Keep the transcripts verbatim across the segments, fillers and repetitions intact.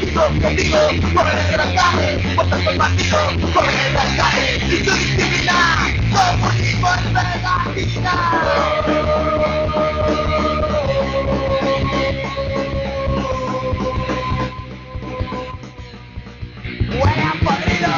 Objetivo, correr de las calles, votar por partido, correr de las calles, sin tu disciplina, comunismo es pegatina. Huele a podrido.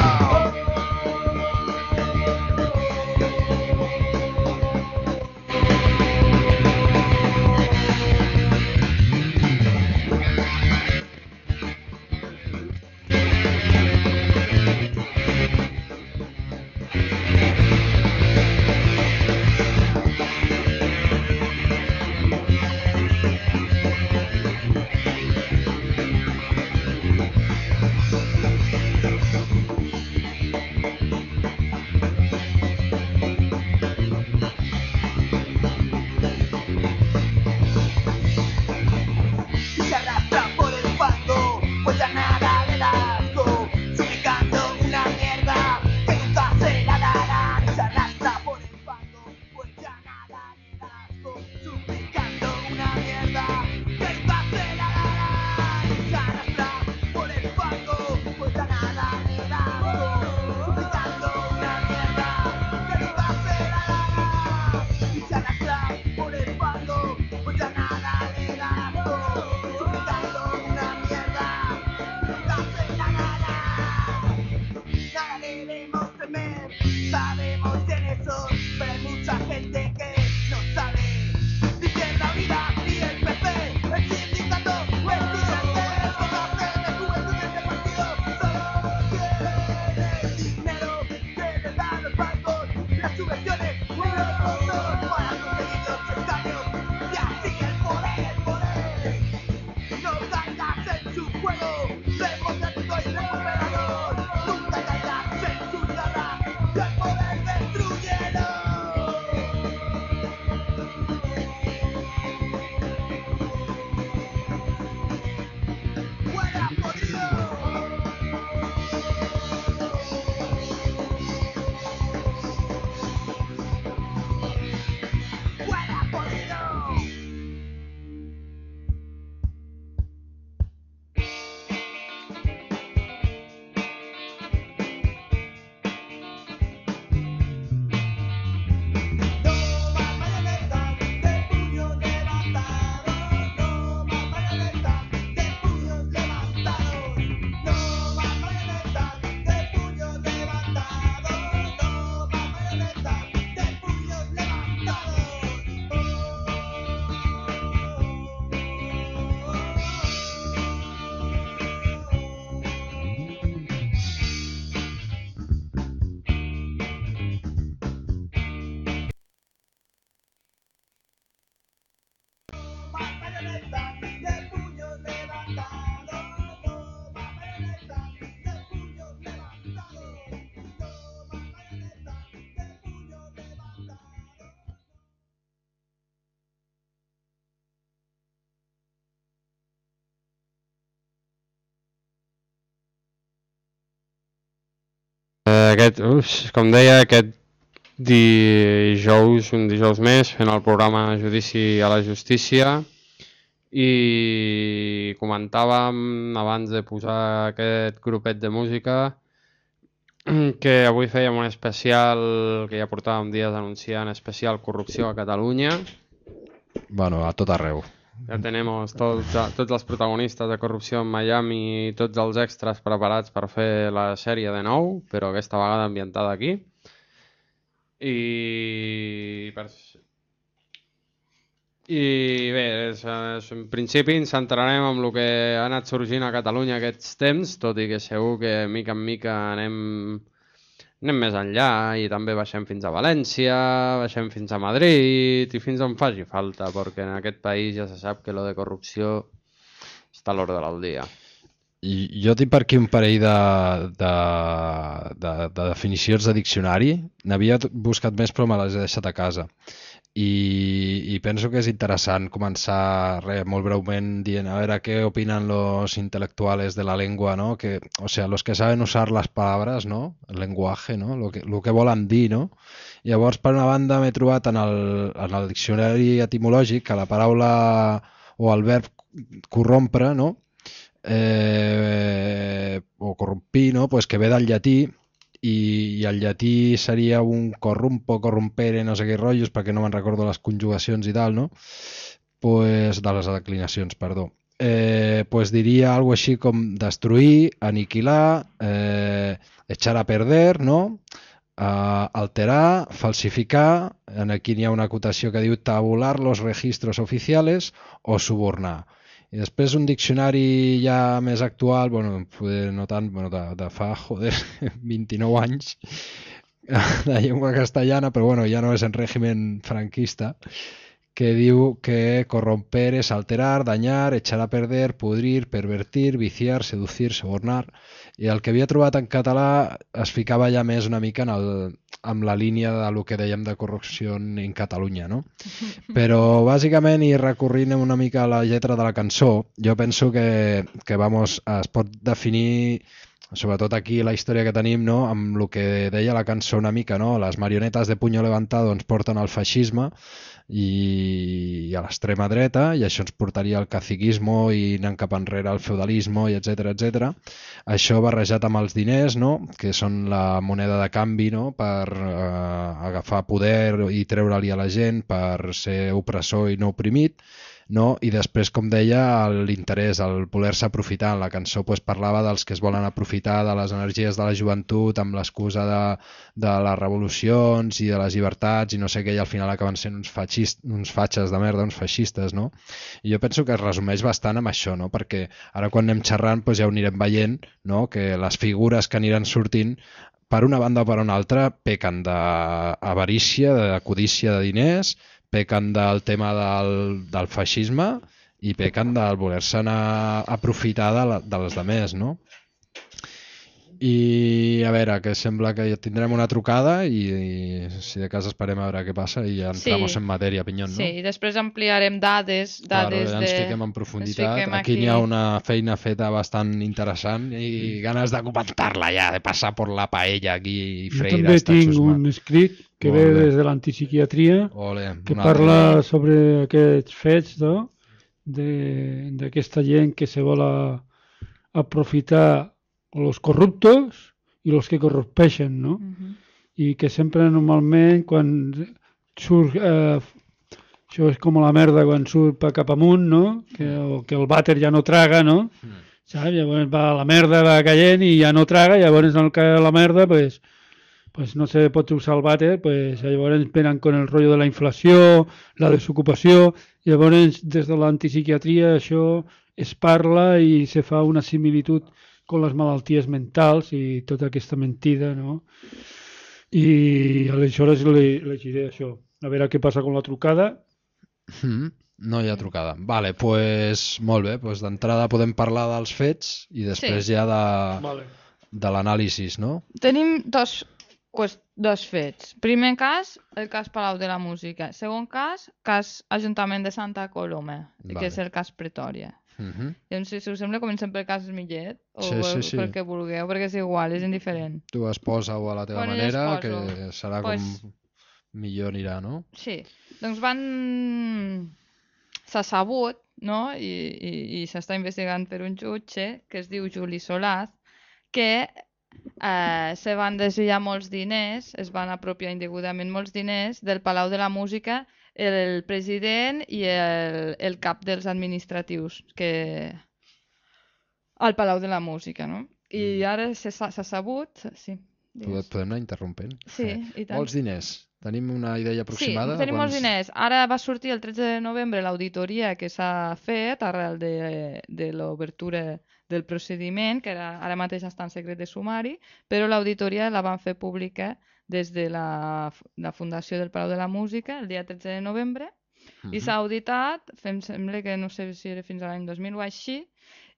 Aquest, uf, com deia, aquest dijous, un dijous més, fent el programa Judici a la Justícia, i comentàvem abans de posar aquest grupet de música que avui fèiem un especial que ja portàvem dies anunciant, especial corrupció a Catalunya. Bueno, a tot arreu. Ja tenim tots, tots els protagonistes de corrupció en Miami i tots els extras preparats per fer la sèrie de nou, però aquesta vegada ambientada aquí. I, per... I bé, és, és, en principi ens centrarem en el que ha anat sorgint a Catalunya aquests temps, tot i que segur que mica en mica anem, anem més enllà i també baixem fins a València, baixem fins a Madrid i fins on faci falta, perquè en aquest país ja se sap que lo de corrupció està a l'ordre del dia. I jo tinc per aquí un parell de, de, de, de definicions de diccionari. N'havia buscat més però me les he deixat a casa. I, i penso que és interessant començar re, molt breument dient a veure què opinen los intelectuales de la lengua, ¿no? Que, o sea, los que saben usar las palabras, ¿no? El lenguaje, ¿no? Lo que, lo que volen dir, no? Llavors, per una banda, m'he trobat en el, en el diccionari etimològic que la paraula o el verb corrompre, no? Eh, corrompir, no? Pues que ve del llatí, i, i el llatí seria un corrumpo, corrompere, no sé què rotllos, perquè no me'n recordo les conjugacions i tal, no? Pues, de les declinacions, perdó. Eh, pues diria algo així com destruir, aniquilar, eh, echar a perder, no? Uh, alterar, falsificar, aquí n'hi ha una acotació que diu tabular los registros oficiales o subornar. I després un diccionari ja més actual, bueno, no tant, bueno, de, de fa, joder, vint-i-nou anys, de llengua castellana, però bueno, ja no és en règim franquista, que diu que corromper és alterar, dañar, echar a perder, pudrir, pervertir, viciar, seducir, sobornar. I el que havia trobat en català es ficava ja més una mica en, el, en la línia de lo que dèiem de corrupció en Catalunya, no? Però bàsicament, i recorrint una mica a la lletra de la cançó, jo penso que, que vamos, es pot definir, sobretot aquí la història que tenim, no? Amb el que deia la cançó una mica, no? Les marionetes de puño levantado ens porten al feixisme i a l'extrema dreta, i això ens portaria al caciquismo i anant cap enrere al feudalisme, i etcètera, etcètera. Això barrejat amb els diners, no? Que són la moneda de canvi, no? Per eh, agafar poder i treure-li a la gent, per ser opressor i no oprimit, no? I després, com deia, l'interès, el voler-se aprofitar. En la cançó pues, parlava dels que es volen aprofitar de les energies de la joventut amb l'excusa de, de les revolucions i de les llibertats i no sé què, i al final acaben sent uns, feixist, uns fatxes de merda, uns feixistes, no? I jo penso que es resumeix bastant amb això, no? Perquè ara quan anem xerrant pues, ja ho anirem veient, no? Que les figures que aniran sortint per una banda o per una altra pequen d'avarícia, de codícia de diners, pequen del tema del, del feixisme i pequen del voler-se anar a aprofitar de, la, de les demés, no? I a veure, que sembla que ja tindrem una trucada i, i si de cas esperem a veure què passa i ja entramos sí. en matèria, Pinyón, no? Sí, i després ampliarem dades, dades claro, ja ens de... fiquem en profunditat. Fiquem aquí aquí n'hi ha una feina feta bastant interessant i ganes de comentar-la ja, de passar per la paella aquí i freir. Jo també tinc un escrit que ve des de l'antipsiquiatria que parla altre. sobre aquests fets, no? D'aquesta gent que se vol a, aprofitar los corruptos i los que corrompeixen, no? Uh-huh. I que sempre normalment quan surt, eh, això és com la merda quan surt cap amunt, no? Que, o que el vàter ja no traga, no? Uh-huh. Saps? Llavors va la merda va caient i ja no traga, llavors en el que la merda, pues, pues no se pot usar el vàter, pues llavors venen con el rotllo de la inflació, la desocupació, llavors des de l'antipsiquiatria això es parla i se fa una similitud con les malalties mentals i tota aquesta mentida, no? I aleshores li, li diré això. A veure què passa amb la trucada. Mm, no hi ha trucada. Vale, pues molt bé. Pues d'entrada podem parlar dels fets i després sí. ja de, vale. de l'anàlisi, no? Tenim dos, pues, dos fets. Primer cas, el cas Palau de la Música. Segon cas, cas Ajuntament de Santa Coloma, vale. que és el cas Pretòria. Uh-huh. Llavors, si us sembla, comencem pel cas Millet o sí, sí, sí. pel que vulgueu, perquè és igual, és indiferent. Tu es posa-ho a la teva bueno, manera, que serà pues, com millor anirà, no? Sí, doncs van... s'ha sabut, no? I, i, i s'està investigant per un jutge que es diu Juli Solaz, que eh, se van desviar molts diners, es van apropiar indegudament molts diners del Palau de la Música, el president i el, el cap dels administratius que al Palau de la Música, no? I ara s'ha sabut... Sí, podem anar interrompent? Sí, i tant. Molts diners. Tenim una idea aproximada? Sí, tenim quants... molts diners. Ara va sortir el tretze de novembre l'auditoria que s'ha fet arrel de, de l'obertura del procediment, que ara, ara mateix està en secret de sumari, però l'auditoria la van fer pública des de la, la Fundació del Palau de la Música el dia tretze de novembre uh-huh. i s'ha auditat, em sembla que no sé si era fins a l'any dos mil o així,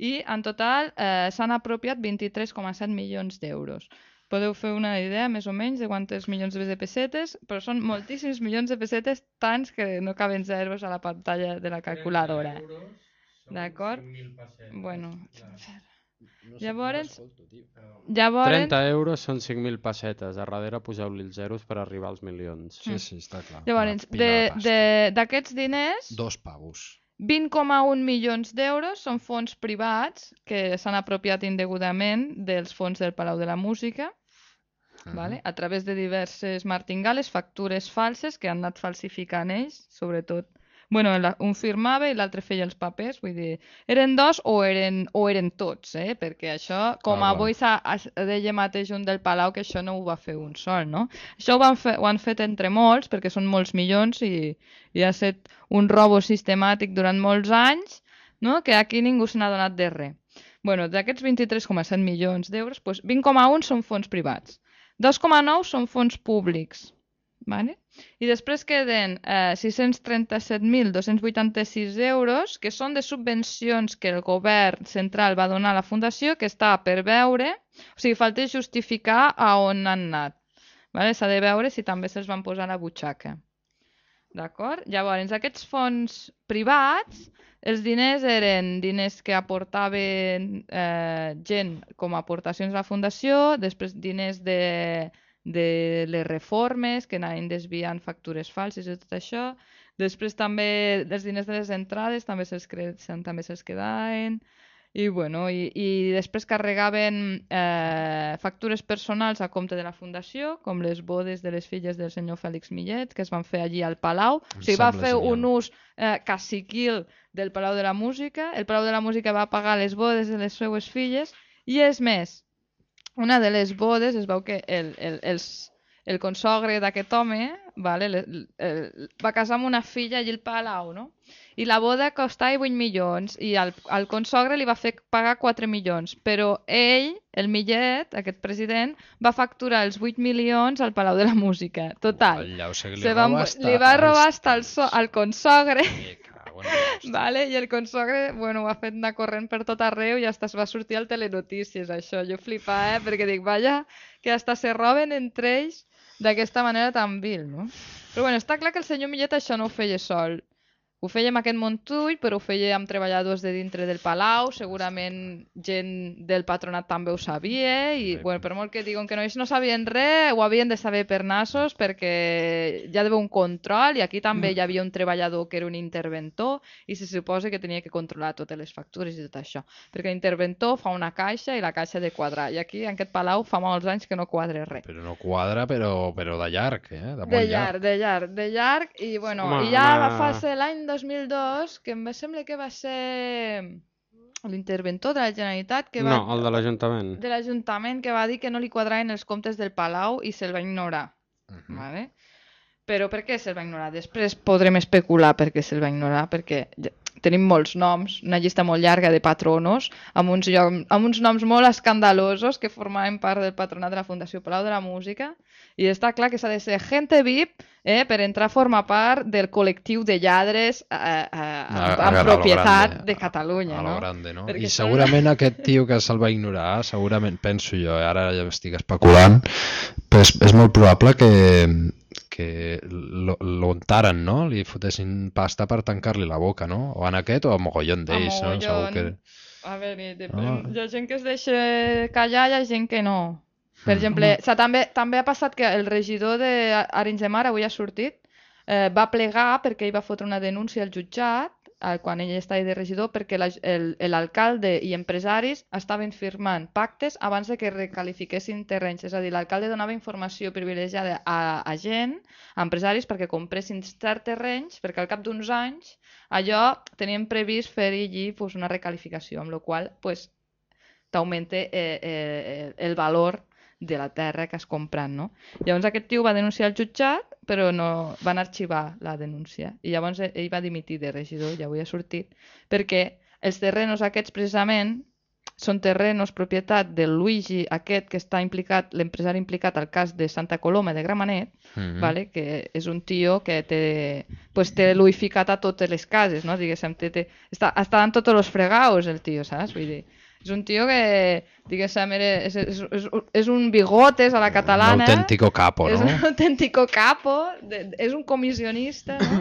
i en total eh, s'han apropiat vint-i-tres coma set milions d'euros. Podeu fer una idea més o menys de quantes milions de pessetes, però són moltíssims milions de pessetes, tants que no caben zeros a la pantalla de la calculadora. D'acord? Bueno... No sé llavors, llavors... trenta euros són cinc mil pessetes. A darrere poseu-li els zeros per arribar als milions. Sí, sí, està clar. Llavors, d'aquests diners... Dos pavos. vint coma un milions d'euros són fons privats que s'han apropiat indegudament dels fons del Palau de la Música, uh-huh. vale? A través de diverses martingales, factures falses que han anat falsificant ells, sobretot. Bueno, un firmava i l'altre feia els papers, vull dir, eren dos o eren, o eren tots, eh? Perquè això, com ah, avui deia mateix un del Palau, que això no ho va fer un sol, no? Això ho, van fer, ho han fet entre molts, perquè són molts milions i, i ha estat un robo sistemàtic durant molts anys, no? Que aquí ningú se n'ha donat de res. Bueno, d'aquests vint-i-tres coma set milions d'euros, doncs vint coma un són fons privats, dos coma nou són fons públics, vale? I després queden eh, sis-cents trenta-set mil dos-cents vuitanta-sis euros, que són de subvencions que el govern central va donar a la fundació, que està per veure, o sigui, falta justificar a on han anat. Vale? S'ha de veure si també se'ls van posar a la butxaca. D'acord? Llavors, aquests fons privats, els diners eren diners que aportaven eh, gent com a aportacions a la fundació, després diners de... de les reformes que anaven desviant factures falses i tot això. Després també els diners de les entrades també se'ls també se'ls quedaven. I, bueno, i, i després carregaven eh, factures personals a compte de la fundació, com les bodes de les filles del senyor Fèlix Millet, que es van fer allí al Palau. O sigui, va fer un ús eh, caciquil del Palau de la Música. El Palau de la Música va pagar les bodes de les seues filles. I és més, una de les bodes es veu que el, el, el, el consogre d'aquest home vale, el, el, va casar amb una filla allà al Palau, no? I la boda costava vuit milions i al, al consogre li va fer pagar quatre milions, però ell, el Millet, aquest president, va facturar els vuit milions al Palau de la Música. Total. Allà, o sigui, li, va, li va robar hasta el so, al consogre. Vale, i el consogre, bueno, ho ha fet anar corrent per tot arreu i hasta es va sortir al Telenotícies, això. Jo flipava, eh? Perquè dic, vaja, que hasta se roben entre ells d'aquesta manera tan vil, no? Però bueno, està clar que el senyor Millet això no ho feia sol. Ho feia amb aquest Montull, però ho feia amb treballadors de dintre del Palau, segurament gent del patronat també ho sabia, i bueno, per molt que diuen que no, ells no sabien res, ho havien de saber per nassos, perquè hi ha d'haver un control, i aquí també hi havia un treballador que era un interventor, i se suposa que tenia que controlar totes les factures i tot això, perquè l'interventor fa una caixa i la caixa ha de quadrar, i aquí en aquest Palau fa molts anys que no quadra res. Però no quadra, però, però de llarg, eh? De, de llarg, de llarg, de llarg, i bueno, home, i ja home... va ser l'any dos mil dos, que em sembla que va ser l'interventor de la Generalitat que va... No, el de l'Ajuntament. De l'Ajuntament, que va dir que no li quadraven els comptes del Palau i se'l va ignorar. Uh-huh. Vale? Però per què se'l va ignorar? Després podrem especular per què se'l va ignorar, perquè tenim molts noms, una llista molt llarga de patronos, amb uns, lloc, amb uns noms molt escandalosos que formaven part del patronat de la Fundació Palau de la Música, i està clar que s'ha de ser gente V I P eh, per entrar a formar part del col·lectiu de lladres eh, eh, amb, amb propietat grande, de Catalunya. A, a no? Grande, no? I segurament una... aquest tio que se'l va ignorar, segurament, penso jo, ara ja estic especulant, però és, és molt probable que que l'untaren, no? Li fotessin pasta per tancar-li la boca, no? O en aquest o a mogollon d'ells, no? Segur que... A veure, no? Hi ha gent que es deixa callar, hi ha gent que no. Per exemple, o sigui, també, també ha passat que el regidor d'Arenys de Mar, avui ha sortit, eh, va plegar perquè ell va fotre una denúncia al jutjat eh, quan ell estava de regidor, perquè l'alcalde i empresaris estaven firmant pactes abans de que recalifiquessin terrenys. És a dir, l'alcalde donava informació privilegiada a, a gent, a empresaris, perquè compressin certs terrenys, perquè al cap d'uns anys allò tenien previst fer allí pues, una recalificació, amb la qual pues, t'augmenta eh, eh, el valor de la terra que has comprat, no? Llavors aquest tio va denunciar al jutjat, però no van arxivar la denúncia. I llavors ell va dimitir de regidor, ja avui ha sortit, perquè els terrenos aquests precisament són terrenos propietat del Luigi aquest que està implicat, l'empresari implicat al cas de Santa Coloma de Gramenet, mm-hmm. vale? Que és un tio que té, pues, té luificat a totes les cases, no? Diguéssim, té, té, està, està en tots els fregaus el tio, saps? Vull dir, és un tio que, diguéssim, és, és, és, és un bigotes a la catalana. Un autèntico capo, no? És un autèntico capo, de, és un comissionista, no?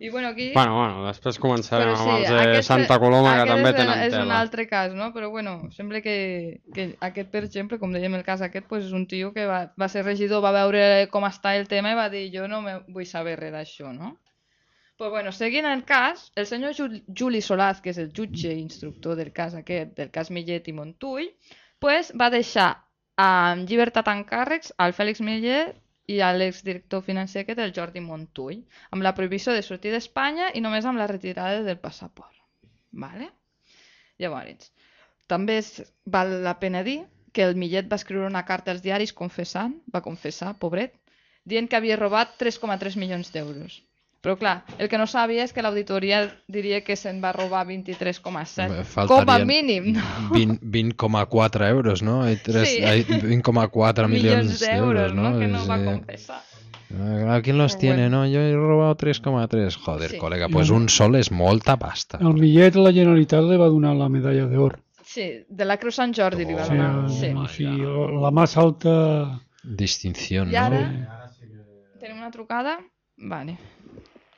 I bueno, aquí... Bueno, bueno, després començarem sí, amb els de aquest, Santa Coloma, que també tenen tela. És un altre cas, no? Però bueno, sembla que, que aquest, per exemple, com dèiem el cas aquest, pues és un tio que va, va ser regidor, va veure com està el tema i va dir jo no me vull saber res d'això, no? Pues bueno, seguint el cas, el senyor Juli Solaz, que és el jutge instructor del cas aquest, del cas Millet i Montull, pues va deixar en llibertat en càrrecs al Fèlix Millet i a l'exdirector financer aquest, el Jordi Montull, amb la prohibició de sortir d'Espanya i només amb la retirada del passaport. Vale? Llavors, també val la pena dir que el Millet va escriure una carta als diaris confessant, va confessar, pobret, dient que havia robat tres coma tres milions d'euros. Però clar, el que no sabia és que l'auditoria diria que se'n va robar vint-i-tres coma set, com a mínim, no? vint coma quatre euros, no? Sí. vint coma quatre milions d'euros, ¿no? Que no va confessar. ¿Quién los tiene? No, yo he robado tres coma tres. Joder, sí. Colega, pues un sol és molta pasta. El Millet a la Generalitat li va donar la medalla d'or. Sí, de la Creu Sant Jordi li va donar. Sí, sí, la més alta distinció, I ara tenim una trucada. Vale.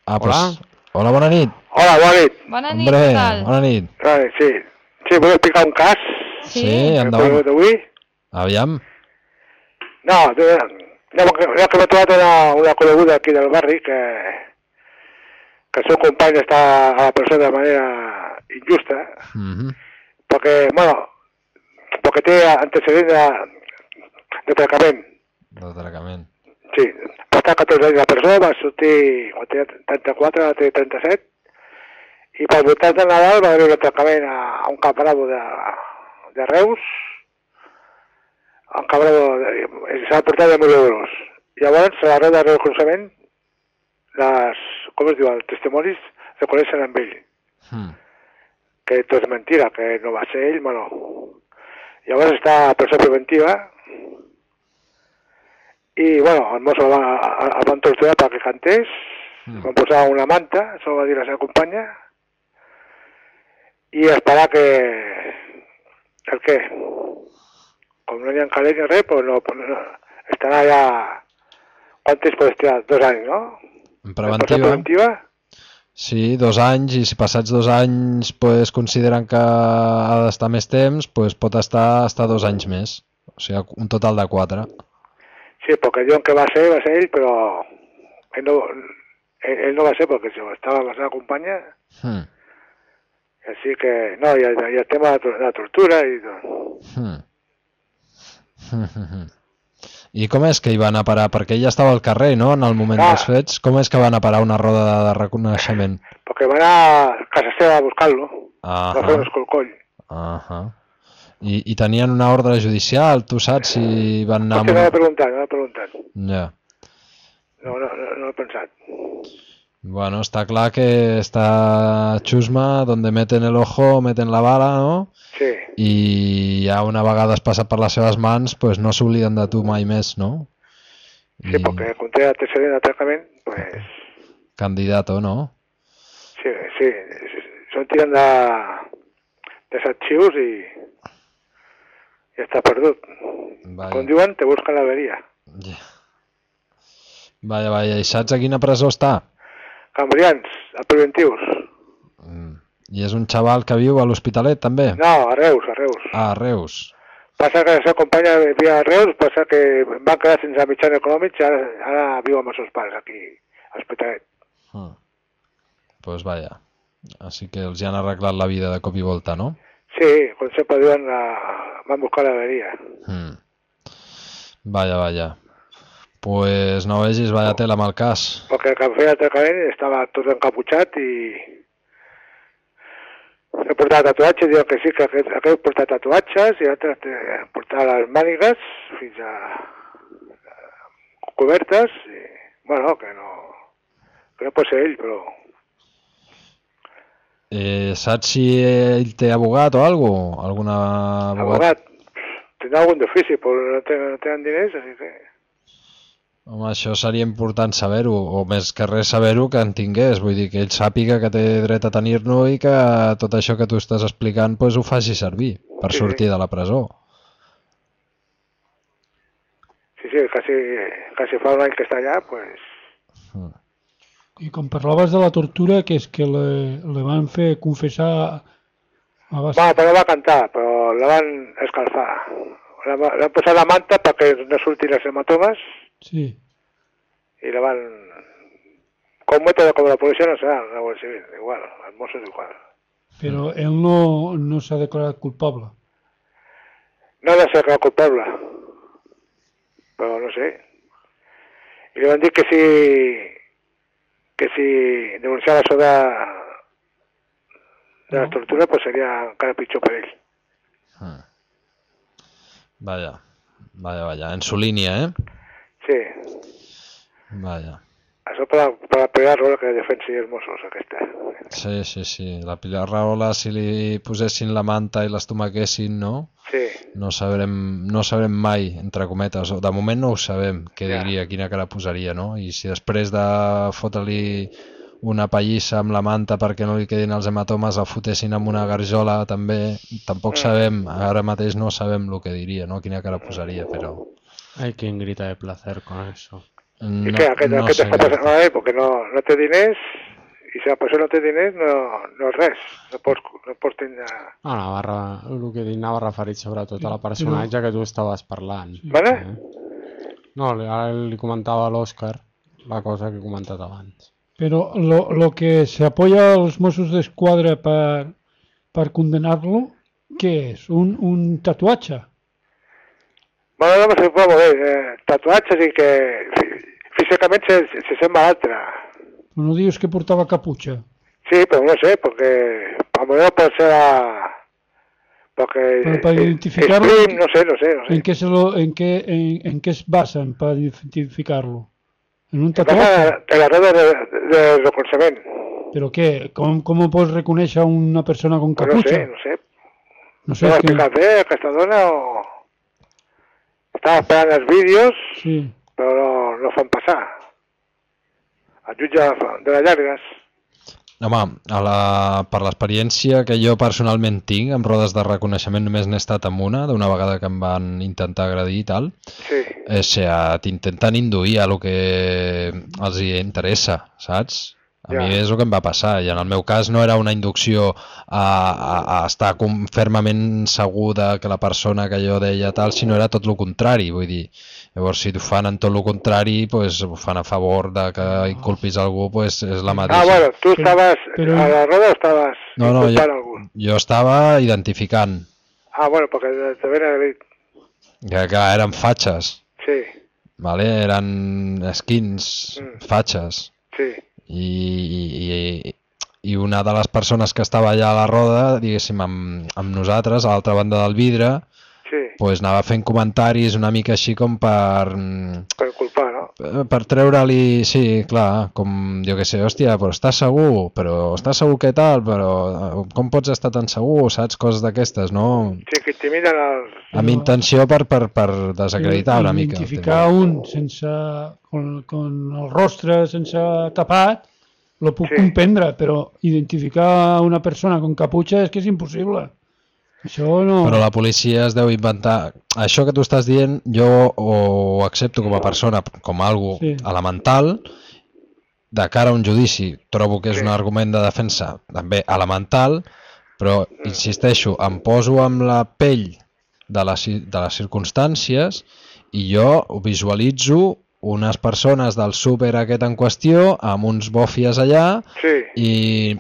Ah, pues, hola. Hola, bona nit. Hola, bona nit. Bona nit, Hombre, què tal? Bona nit. Vale, sí. Sí, vull explicar un cas. Sí, sí endavant. D'avui. Aviam. No, no, que m'he trobat una, una coneguda aquí del barri que, que el seu company està a la presó de manera injusta, mm -hmm. perquè, bueno, perquè té antecedent de, de tracament. De tracament. Sí, va estar catorze anys a la presó, va sortir, quan tenia trenta-quatre, va tenir trenta-set, i pel voltant de Nadal va haver un atracament a, a un cambrado de, de Reus, un cambrado, s'ha portat de mil euros. Llavors, a l'arreu de reconeixement, les, com es diu, els testimonis reconeixen amb ell. Mm. Que tot és mentira, que no va ser ell, bueno. Llavors està a presó preventiva, i, bueno, el mosso el van, el van torturar perquè cantés, mm. van posar una manta, això va dir la seva companya, i esperar que... el què? Com no hi ha calés ni res, pues no, pues no, estarà ja... Quant temps pot estar? Dos anys, no? En preventiva? preventiva? Sí, dos anys, i si passats dos anys pues, consideren que ha d'estar més temps, pues, pot estar, estar dos anys més. O sigui, un total de quatre. Sí, perquè diuen que va ser, va ser ell, però ell no, ell, ell no va ser perquè estava amb la seva companya. Hmm. Així que, no, i el, i el tema de la tortura i tot. Hmm. I com és que hi van a parar? Perquè ella estava al carrer, no?, en el moment ah. dels fets. Com és que van a parar una roda de, de reconeixement? Perquè van a casa seva a buscar-lo. Ah. Va fer un escolcoll. Ah. I, I tenien una ordre judicial, tu saps si van anar... Potser no l'he preguntat, no l'he preguntat. Ja. No, no, no, no l'he pensat. Bueno, està clar que està Chusma, donde meten el ojo, meten la bala, no? Sí. I ja una vegada has passat per les seves mans, pues no s'obliden de tu mai més, no? Sí, I... perquè conté antecedent de tractament, pues... Candidato, no? Sí, sí, són tirant de, de arxius i... i està perdut. Vaya. Com diuen, te busquen l'averia. Ja. Vaja, vaja, i saps a quina presó està? Cambrians, a preventius. Mm. I és un xaval que viu a l'Hospitalet, també? No, a Reus, a Reus. Ah, a Reus. Passa que la seva companya vivia a Reus, passa que van quedar sense mitjans econòmics i ara, ara viu amb els seus pares aquí, a l'Hospitalet. Mm. Pues vaja. Així que els hi han arreglat la vida de cop i volta, no? Sí, com sempre diuen, la... van buscar l'averia. Mm. Vaja, vaja. Pues no vegis, vaya tela amb el cas. Perquè el que feia el tracament estava tot encaputxat i... he portat tatuatges, diuen que sí, que aquest, aquest porta tatuatges i l'altre portar les mànigues fins a... cobertes i... bueno, que no... que no pot ser ell, però... Eh, saps si ell té abogat o alguna cosa? Alguna abogat? Abogat? Tindrà algun d'ofici, però no tenen, no tenen diners, així que... Home, això seria important saber-ho, o més que res saber-ho que en tingués, vull dir que ell sàpiga que té dret a tenir-lo i que tot això que tu estàs explicant pues, ho faci servir per sí, sortir sí. de la presó. Sí, sí, quasi, quasi fa un any que està allà, pues... Mm. I com parlaves de la tortura, que és que le, le van fer confessar... A base... Va, però va cantar, però la van escalfar. La van posar la manta perquè no surtin les hematomes. Sí. I la van... con método como la Policía Nacional, la Guardia Civil, igual, els Mossos igual. Però ell no, no s'ha declarat culpable. No ha de ser culpable, però no sé. I li van dir que si, que si denunciava això de, de la tortura, pues seria encara pitjor per ell. Ah. Vaya, vaya, vaya. En su línea, ¿eh? Sí. Vaya. Això per, per la Pilar Rahola que defensi els Mossos, aquesta. Sí, sí, sí. La Pilar Rahola, si li posessin la manta i l'estomaquessin, no? Sí. No sabrem, no sabrem mai, entre cometes. De moment no ho sabem, què Ja. diria, quina cara posaria, no? I si després de fotre-li una pallissa amb la manta perquè no li quedin els hematomes el fotessin amb una garjola també, tampoc sabem, ara mateix no sabem el que diria, no? Quina cara posaria, però... Hay quien grita de placer con eso. No, I què, aquest, no aquest sé està passant malament perquè no, no té diners i si la persona no té diners no, no és res, no pots, no pots tenir... No, Navarra, el que anava referit sobretot a la personatge que tu estaves parlant. Vale? Eh? No, ara li comentava a l'Òscar la cosa que he comentat abans. Però lo, lo que se apoya a los Mossos d'Esquadra per, per condenar-lo, què és? Un, un tatuatge? Bueno, no sé, molt bé, eh, tatuatges i que físicament se, se sembla a l'altre. Però no dius que portava caputxa? Sí, però no sé, perquè a lo mejor pot ser a... Perquè... Però per es- identificar-lo... es prim, no sé, no sé, no sé. ¿En qué se, lo, en qué, en, en qué es basan para identificarlo? ¿En un Passa tatuaje? en la red de, de reconeixement. ¿Pero qué? ¿Cómo, cómo puedes reconocer a una persona con Pues no capucha? sé, no sé. No sé, No es ho que... explicat bé, aquesta dona, o... Estava esperant els vídeos, Sí. però no, no fan passar. El jutge de les llargues. Home, a la, per l'experiència que jo personalment tinc amb rodes de reconeixement només n'he estat amb una, d'una vegada que em van intentar agredir i tal, Sí, o sigui, t'intenten induir a lo que els hi interessa, saps? A Ja. mi és el que em va passar i en el meu cas no era una inducció a, a, a estar com fermament segur de que la persona que jo deia tal, sinó era tot el contrari, vull dir, llavors si ho fan en tot el contrari, pues, ho fan a favor de que inculpis algú, pues, és la mateixa. ah, bueno, tu estaves Però- a la roda o estaves No, no, inculpant jo, algú? jo estava identificant Ah, bueno, perquè te ven agredit. que, que eren fatxes, Sí, vale? Eren skins, Mm. fatxes, sí, i, i, i una de les persones que estava allà a la roda, diguéssim, amb, amb nosaltres, a l'altra banda del vidre, sí, pues anava fent comentaris una mica així com per... per inculpar, no? per treure-li, sí, clar, com jo que sé, hòstia, però estàs segur, però estàs segur què tal, però com pots estar tan segur, saps? Coses d'aquestes, no? Sí, que intimiden els... Amb intenció per, per, per desacreditar una mica. Identificar un sense... Con, con el rostre sense tapat, lo puc Sí. comprendre, però identificar una persona con caputxa és que és impossible. Això no... Però la policia es deu inventar... Això que tu estàs dient, jo ho accepto com a persona, com algo Sí. elemental, de cara a un judici. Trobo que és un argument de defensa també elemental, però, insisteixo, em poso amb la pell de les, ci- de les circumstàncies i jo ho visualitzo unes persones del súper aquest en qüestió, amb uns bòfies allà, Sí, i,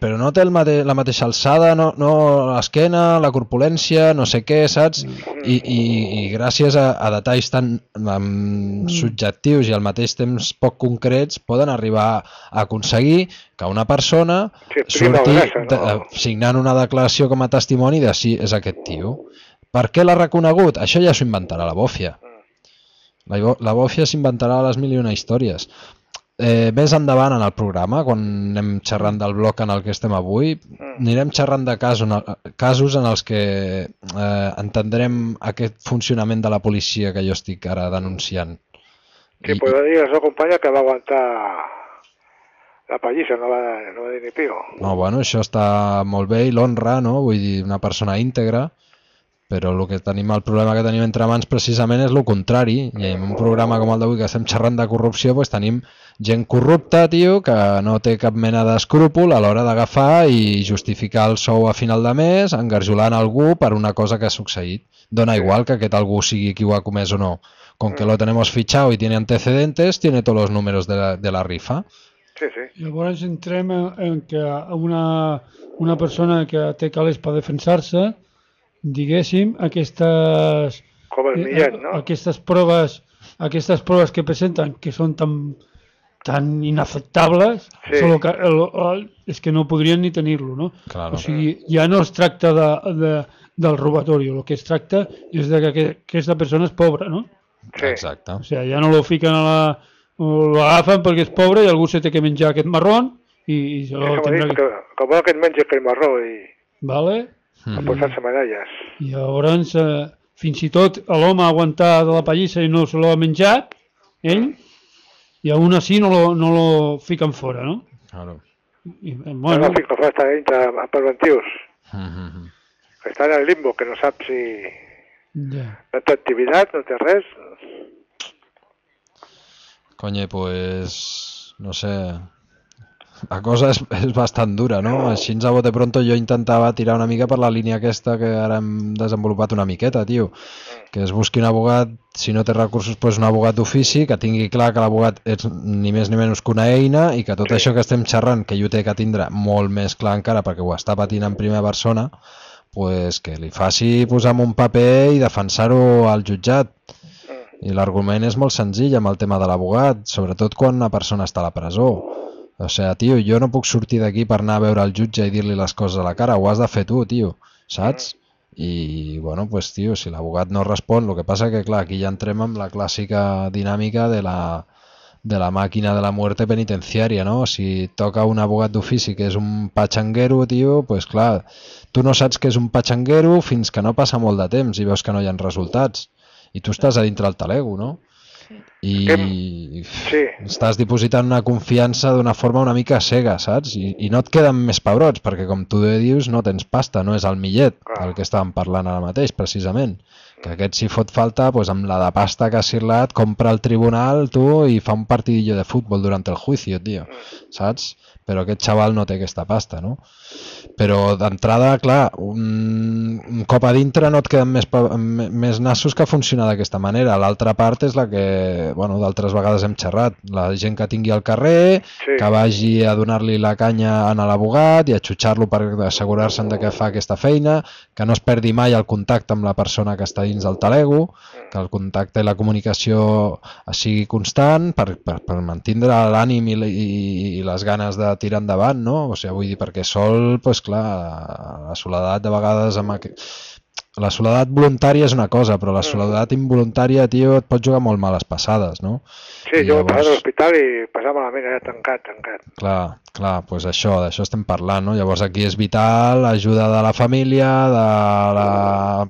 però no té el mate, la mateixa alçada, no, no l'esquena, la corpulència, no sé què, saps? I, i, i gràcies a, a detalls tan um, subjectius i al mateix temps poc concrets poden arribar a aconseguir que una persona Sí, prima surti grassa, no? de, signant una declaració com a testimoni de si és aquest tio. Per què l'ha reconegut? Això ja s'ho inventarà la bòfia. La, bo- la bòfia s'inventarà les mil i una històries. Eh, més endavant en el programa, quan anem xerrant del bloc en el que estem avui, anirem xerrant de casos, casos en els que eh, entendrem aquest funcionament de la policia que jo estic ara denunciant. que podrà dir la seva companya que va aguantar la pallissa, no va, no va dir ni pio. No, bueno, això està molt bé i l'honra, no? Vull dir, una persona íntegra, però el que tenim, el problema que tenim entre mans precisament és el contrari, i en un programa com el d'avui que estem xerrant de corrupció, doncs tenim gent corrupta, tio, que no té cap mena d'escrúpol a l'hora d'agafar i justificar el sou a final de mes engarjolant algú per una cosa que ha succeït. Dona igual que aquest algú sigui qui ho ha comès o no. Con que lo tenemos fichado y tiene antecedentes, tiene todos los números de la, de la rifa. Sí, sí. Llavors entrem en, en que una, una persona que té calés per defensar-se, diguéssim, aquestes, Com el Millet, no? aquestes proves, aquestes proves que presenten, que són tan, tan inaceptables, sí. Solo que el, el, és que no podrien ni tenir-lo, no? Claro. O sigui, ja no es tracta de, de, del robatori, el que es tracta és de que aquesta persona és pobra, no? Sí. Exacte. O sigui, ja no lo fiquen a la... l'agafen perquè és pobre i algú se té que menjar aquest marrón i, i se lo tindrà que... Que vol que et mengi aquell marró i... Vale. A posar-se medalles. I llavors, eh, fins i tot l'home ha aguantat de la pallissa i no se l'ha menjat, ell, i aún així no lo, no lo fiquen fora, no? Claro. I, bueno... No lo fiquen fora, està dintre preventius. Mm-hmm. Està en el limbo, que no sap si... Yeah. No té activitat, no té res... Coño, pues, no sé, la cosa és, és bastant dura, no? Així a bote pronto jo intentava tirar una mica per la línia aquesta que ara hem desenvolupat una miqueta, tio, que es busqui un abogat, si no té recursos, pues un abogat d'ofici, que tingui clar que l'abogat és ni més ni menys que una eina i que tot sí. Això que estem xerrant, que ell ho té que tindre molt més clar encara perquè ho està patint en primera persona, pues que li faci posar en un paper i defensar-ho al jutjat. I l'argument és molt senzill amb el tema de l'abogat, sobretot quan una persona està a la presó. O sigui, tio, jo no puc sortir d'aquí per anar a veure el jutge i dir-li les coses a la cara, ho has de fer tu, tio, saps? I, bueno, pues, tio, si l'abogat no respon, el que passa que, clar, aquí ja entrem amb la clàssica dinàmica de la, de la màquina de la muerte penitenciària, no? Si toca un abogat d'ofici que és un patxanguero, tio, pues, clar, tu no saps que és un patxanguero fins que no passa molt de temps i veus que no hi ha resultats. I tu estàs a dintre el talego, no? Sí. I sí. Estàs dipositant una confiança d'una forma una mica cega, saps? I, i no et queden més pebrots, perquè com tu dius, no tens pasta, no és el Millet, ah. el que estàvem parlant ara mateix, precisament. Que aquest si fot falta, pues, amb la de pasta que ha cirlat, compra el tribunal, tu, i fa un partidillo de futbol durant el juicio, tio, saps? Però aquest xaval no té aquesta pasta, no? Però d'entrada, clar, un, un cop a dintre no et queden més, més nassos que funcionar d'aquesta manera. L'altra part és la que, bueno, d'altres vegades hem xerrat. La gent que tingui al carrer, sí. Que vagi a donar-li la canya a l'abogat i a xutxar-lo per assegurar-se'n de que fa aquesta feina, que no es perdi mai el contacte amb la persona que està dins del talego, que el contacte i la comunicació sigui constant per, per, per mantindre l'ànim i, i, i les ganes de tirar endavant, no? O sigui, vull dir, perquè sol, pues clar, la soledat de vegades amb aqu... la soledat voluntària és una cosa, però la soledat involuntària, tio, et pot jugar molt males passades, no? Sí, I jo llavors... passava a l'hospital i passava malament, era tancat, tancat. Clar, clar, doncs això, d'això estem parlant, no? Llavors aquí és vital l'ajuda de la família, de la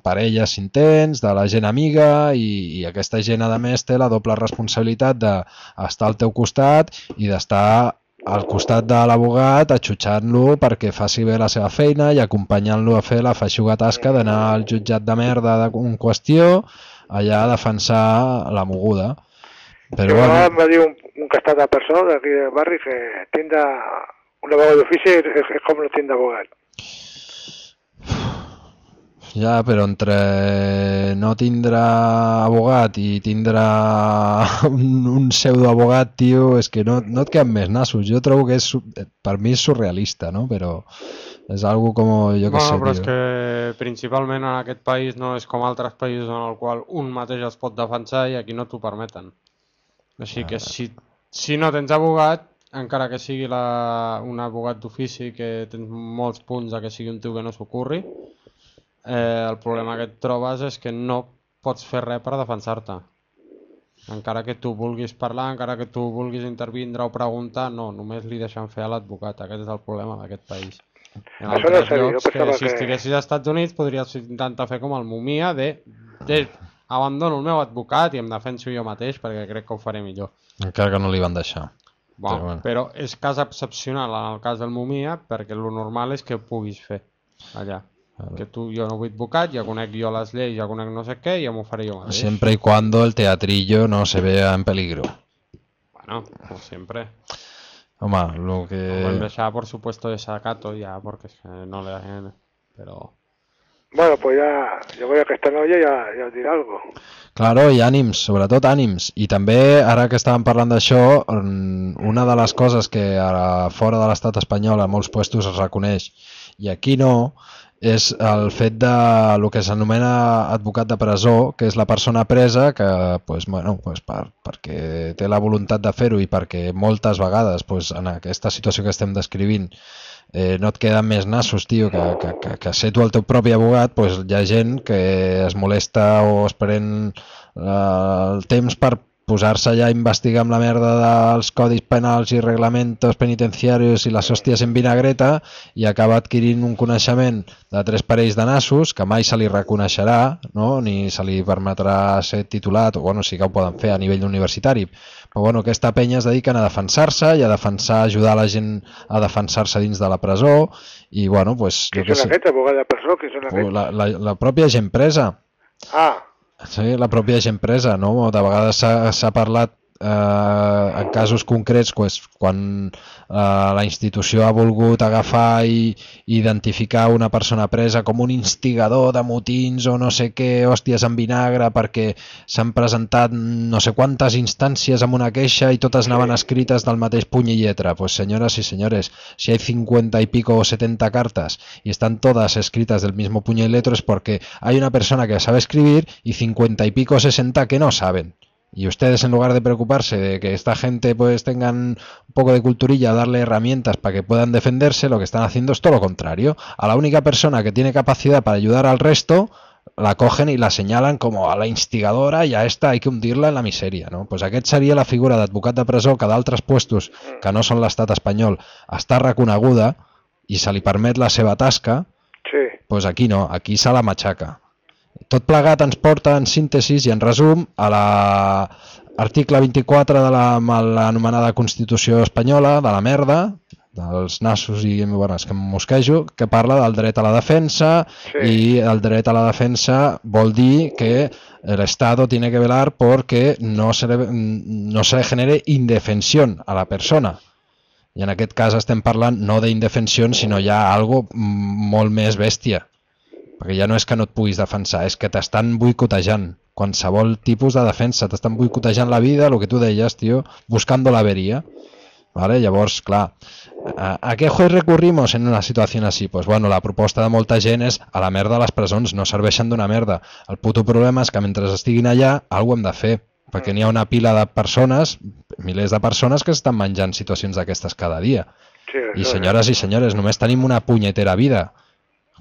parella si en tens, de la gent amiga, i, i aquesta gent, a més, té la doble responsabilitat d'estar al teu costat i d'estar al costat de l'abogat, atxutxant-lo perquè faci bé la seva feina i acompanyant-lo a fer la feixuga tasca d'anar al jutjat de merda en qüestió allà a defensar la moguda. Però bueno... em va dir un, un castat de persona d'aquí del barri que tindre un abogat d'ofici és, és com no tindre abogat. Ja, però entre no tindre abogat i tindre un, un pseudoabogat, tio, és que no, no et queden més nassos. Jo trobo que és, per mi és surrealista, no? Però és algo com, jo què bueno, sé, però tio. És que principalment en aquest país no és com altres països en el qual un mateix es pot defensar i aquí no t'ho permeten. Així que si, si no tens abogat, encara que sigui la, un abogat d'ofici que tens molts punts de que sigui un tio que no s'ocorri, Eh, el problema que et trobes és que no pots fer res per defensar-te. Encara que tu vulguis parlar, encara que tu vulguis intervindre o preguntar, no, només li deixen fer a l'advocat. Aquest és el problema d'aquest país. En altres llocs, que si estiguessis als Estats Units podries intentar fer com el Mumia de, de abandono el meu advocat i em defenso jo mateix perquè crec que ho faré millor. Encara que no li van deixar. Bon, però, bueno. Però és cas excepcional en el cas del Mumia perquè el normal és que ho puguis fer allà. Que tu, jo no vull advocat, ja conec jo les lleis, ja conec no sé què, i ja m'ho faré jo mateix. Siempre y cuando el teatrillo no se vea en peligro. Bueno, como siempre. Home, lo que... Bueno, ya por supuesto desacato ya, porque no le... Pero... Bueno, pues ya, yo voy a que esta noia ja, ja us dirà algo. Claro, i ànims, sobretot ànims. I també, ara que estàvem parlant d'això, una de les coses que a fora de l'estat espanyol a molts puestos es reconeix, i aquí no, és el fet de el que s'anomena advocat de presó, que és la persona presa que, pues, bueno, pues, per, perquè té la voluntat de fer-ho i perquè moltes vegades, pues, en aquesta situació que estem descrivint, Eh, no et queden més nassos, tio, que, que, que, que ser tu el teu propi abogat, pues, hi ha gent que es molesta o es pren eh, el temps per posar-se allà a investigar amb la merda dels codis penals i reglamentos penitenciarios i les hòsties en vinagreta i acaba adquirint un coneixement de tres parells de nassos que mai se li reconeixerà, no? Ni se li permetrà ser titulat, o bueno, sí que ho poden fer a nivell universitari. Però bueno, aquesta penya es dediquen a defensar-se i a defensar, ajudar la gent a defensar-se dins de la presó i bueno, pues... Qui són aquests, abogats de presó? Qui són aquests? La, la, la pròpia gent presa. Ah. Sí, la pròpia gent presa, no? De vegades s'ha parlat eh, en casos concrets pues, quan eh, la institució ha volgut agafar i, i identificar una persona presa com un instigador de motins o no sé què, hòsties en vinagre, perquè s'han presentat no sé quantes instàncies amb una queixa i totes anaven escrites del mateix puny i lletra. Pues señoras y señores, si hay cincuenta y pico o setenta cartas y están todas escritas del mismo puño y letra es porque hay una persona que sabe escribir y cincuenta y pico o sesenta que no saben. Y ustedes, en lugar de preocuparse de que esta gente pues tengan un poco de culturilla, darle herramientas para que puedan defenderse, lo que están haciendo es todo lo contrario. A la única persona que tiene capacidad para ayudar al resto, la cogen y la señalan como a la instigadora y a esta hay que hundirla en la miseria, no? Pues aquest seria la figura d'advocat de presó que d'altres puestos que no són l'estat espanyol està reconeguda i se li permet la seva tasca, sí. Pues aquí no, aquí se la matxaca. Tot plegat ens porta en síntesi i en resum a l'article vint-i-quatre de l'anomenada Constitució Espanyola, de la merda, dels nassos i bueno, és que em mosquejo, que parla del dret a la defensa sí. I el dret a la defensa vol dir que el Estado tiene que velar porque no se le, no se le genere indefensión a la persona. I en aquest cas estem parlant no d'indefensió, sinó ja algo molt més bèstia. Perquè ja no és que no et puguis defensar, és que t'estan boicotejant. Qualsevol tipus de defensa, t'estan boicotejant la vida, el que tu deies, tio, buscando la averia. ¿Vale? Llavors, clar, ¿a, a què juez recurrimos en una situació així? Pues bueno, la proposta de molta gent és a la merda les presons, no serveixen d'una merda. El puto problema és que mentre estiguin allà, alguna hem de fer, perquè n'hi ha una pila de persones, milers de persones que estan menjant situacions d'aquestes cada dia. Sí, I senyores i senyores, només tenim una punyetera vida.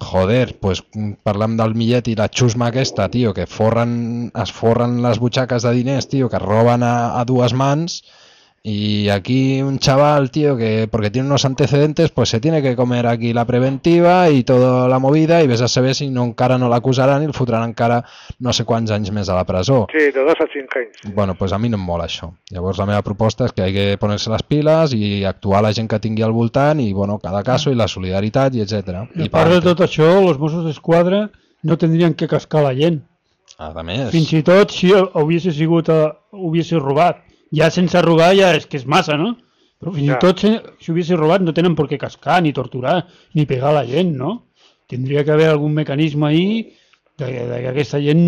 Joder, pues parlam del millet i la xusma aquesta, tio, que forren, es forren les butxaques de diners, tio, que roben a, a dues mans, y aquí un chaval, tío, que porque tiene unos antecedentes, pues se tiene que comer aquí la preventiva y toda la movida, y ves a saber si no encara no l'acusaran i el fotran encara no sé quants anys més a la presó. Sí, de dos a cinc anys. Bueno, pues a mi no em mola això. Llavors la meva proposta és que hi ha que poner-se les piles i actuar la gent que tingui al voltant i, bueno, cada cas i la solidaritat i etcètera. I a part de tot això, els Mossos d'Esquadra no tendrien que cascar la gent. A més. Fins i tot si hagués sigut, uh, hagués robat. Ja sense robar ja és que és massa, no? Però fins ja. i tot si, si hubiese robat no tenen per què cascar, ni torturar, ni pegar la gent, no? Tindria que haver algun mecanisme ahí de, de que aquesta gent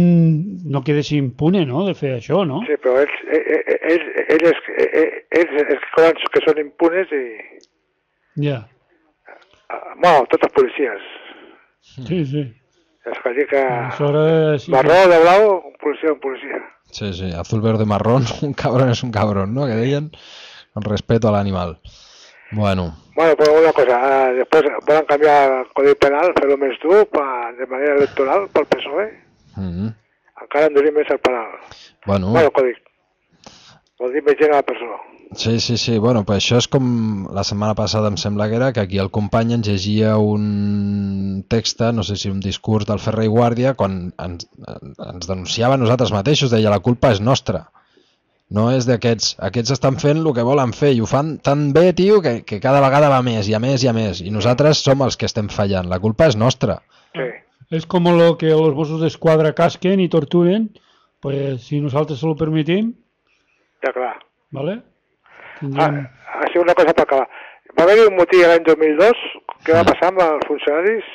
no quedés impune, no?, de fer això, no? Sí, però ells, ells, ells, ells, ells que són impunes i... Ja. Bueno, tots els policies. Sí, sí. És que dir que... Aleshores, sí, marró, de blau, un policia, un policia. Sí, sí, azul, verde, marrón, un cabrón es un cabrón, ¿no? Que deien con respeto al animal. Bueno. Bueno, pues una cosa, uh, después pueden cambiar el Codi Penal, fer-lo més dur pa, de manera electoral pel P S O E. Mm-hmm. Encara endurim més el penal. Bueno. Bueno, el Codi. Vol dir més gent a la persona. Sí, sí, sí, bueno, pues això és com la setmana passada em sembla que era, que aquí el company ens llegia un text, no sé si un discurs del Ferrer i Guàrdia, quan ens, ens denunciava a nosaltres mateixos, deia la culpa és nostra, no és d'aquests, aquests estan fent el que volen fer i ho fan tan bé, tio, que, que cada vegada va més i a més i a més, i nosaltres som els que estem fallant, la culpa és nostra. Sí. És com lo que els Mossos d'Esquadra casquen i torturen, pues si nosaltres se lo permitim... Ja, clar. ¿Vale? Tindríem... Ah, ha sigut una cosa per acabar. Va haver-hi un motí l'any dos mil dos, què va passar amb els funcionaris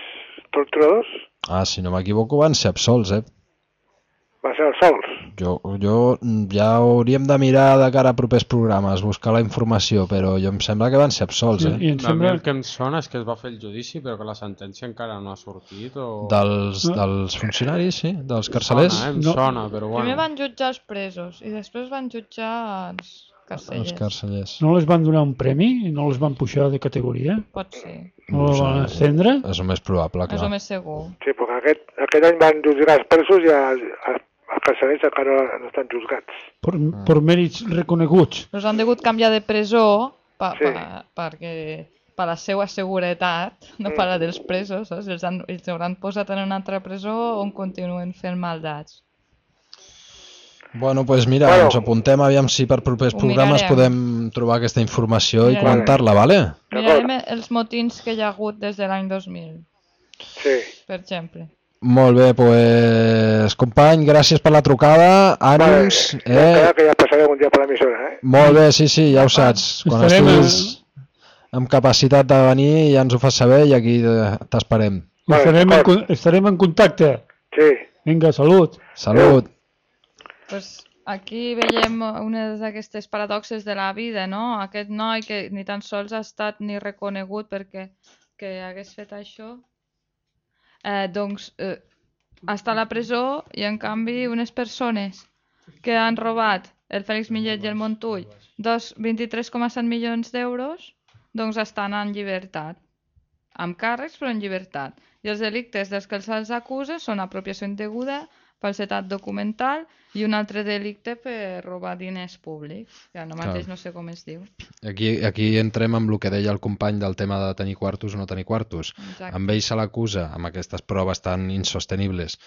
torturadors? Ah, si no m'equivoco van ser absolts, eh? Va ser els sols. Jo, jo ja hauríem de mirar de cara a propers programes, buscar la informació, però jo em sembla que van ser absolts, eh? I em A mi sembla... el que em sona és que es va fer el judici però que la sentència encara no ha sortit o... Dels, dels funcionaris, sí? Dels carcelers? Sona, eh? Em No. sona, però bueno. Primer van jutjar els presos i després van jutjar els Els carcellers. carcellers. No les van donar un premi? No les van pujar de categoria? Pot ser, No les van ascendre? És el més probable, és el clar. més segur. Sí, perquè aquest, aquest any van jutjar els presos i els, els, els carcelers encara no estan juzgats. Per, per mèrits reconeguts. Els han degut canviar de presó pa, Sí. pa, perquè per la seva seguretat, no per la dels presos, saps? Els, han, els hauran posat en una altra presó on continuen fent maldats. Bueno, doncs pues mira, Bueno. ens apuntem aviam si per propers Ho programes mirarem. podem trobar aquesta informació i Mirarem. comentar-la, vale? Mirarem els motins que hi ha hagut des de l'any dos mil, Sí. per exemple. Molt bé, doncs, pues, company, gràcies per la trucada, ànims, Vale, ja eh? queda que ja passarem un dia per l'emissora, eh? Molt bé, sí, sí, ja ho saps. Quan Estarem estiguis amb capacitat de venir ja ens ho fas saber i aquí eh, t'esperem. Vale, Estarem, en, d'acord. con- estarem en contacte. Sí. Vinga, salut. Salut. Pues aquí veiem una d'aquestes paradoxes de la vida, no? Aquest noi que ni tan sols ha estat ni reconegut perquè que hagués fet això, eh, doncs eh, està a la presó i en canvi unes persones que han robat el Fèlix Millet i el Montull dos vint-i-tres coma set milions d'euros, doncs estan en llibertat, amb càrrecs però en llibertat. I els delictes dels que se'ls acusa són apropiació indeguda, falsetat documental i un altre delicte per robar diners públics, que ara mateix Clar. no sé com es diu. Aquí, aquí entrem amb el que deia el company del tema de tenir quartos o no tenir quartos. Exacte. Amb ell se l'acusa, amb aquestes proves tan insostenibles,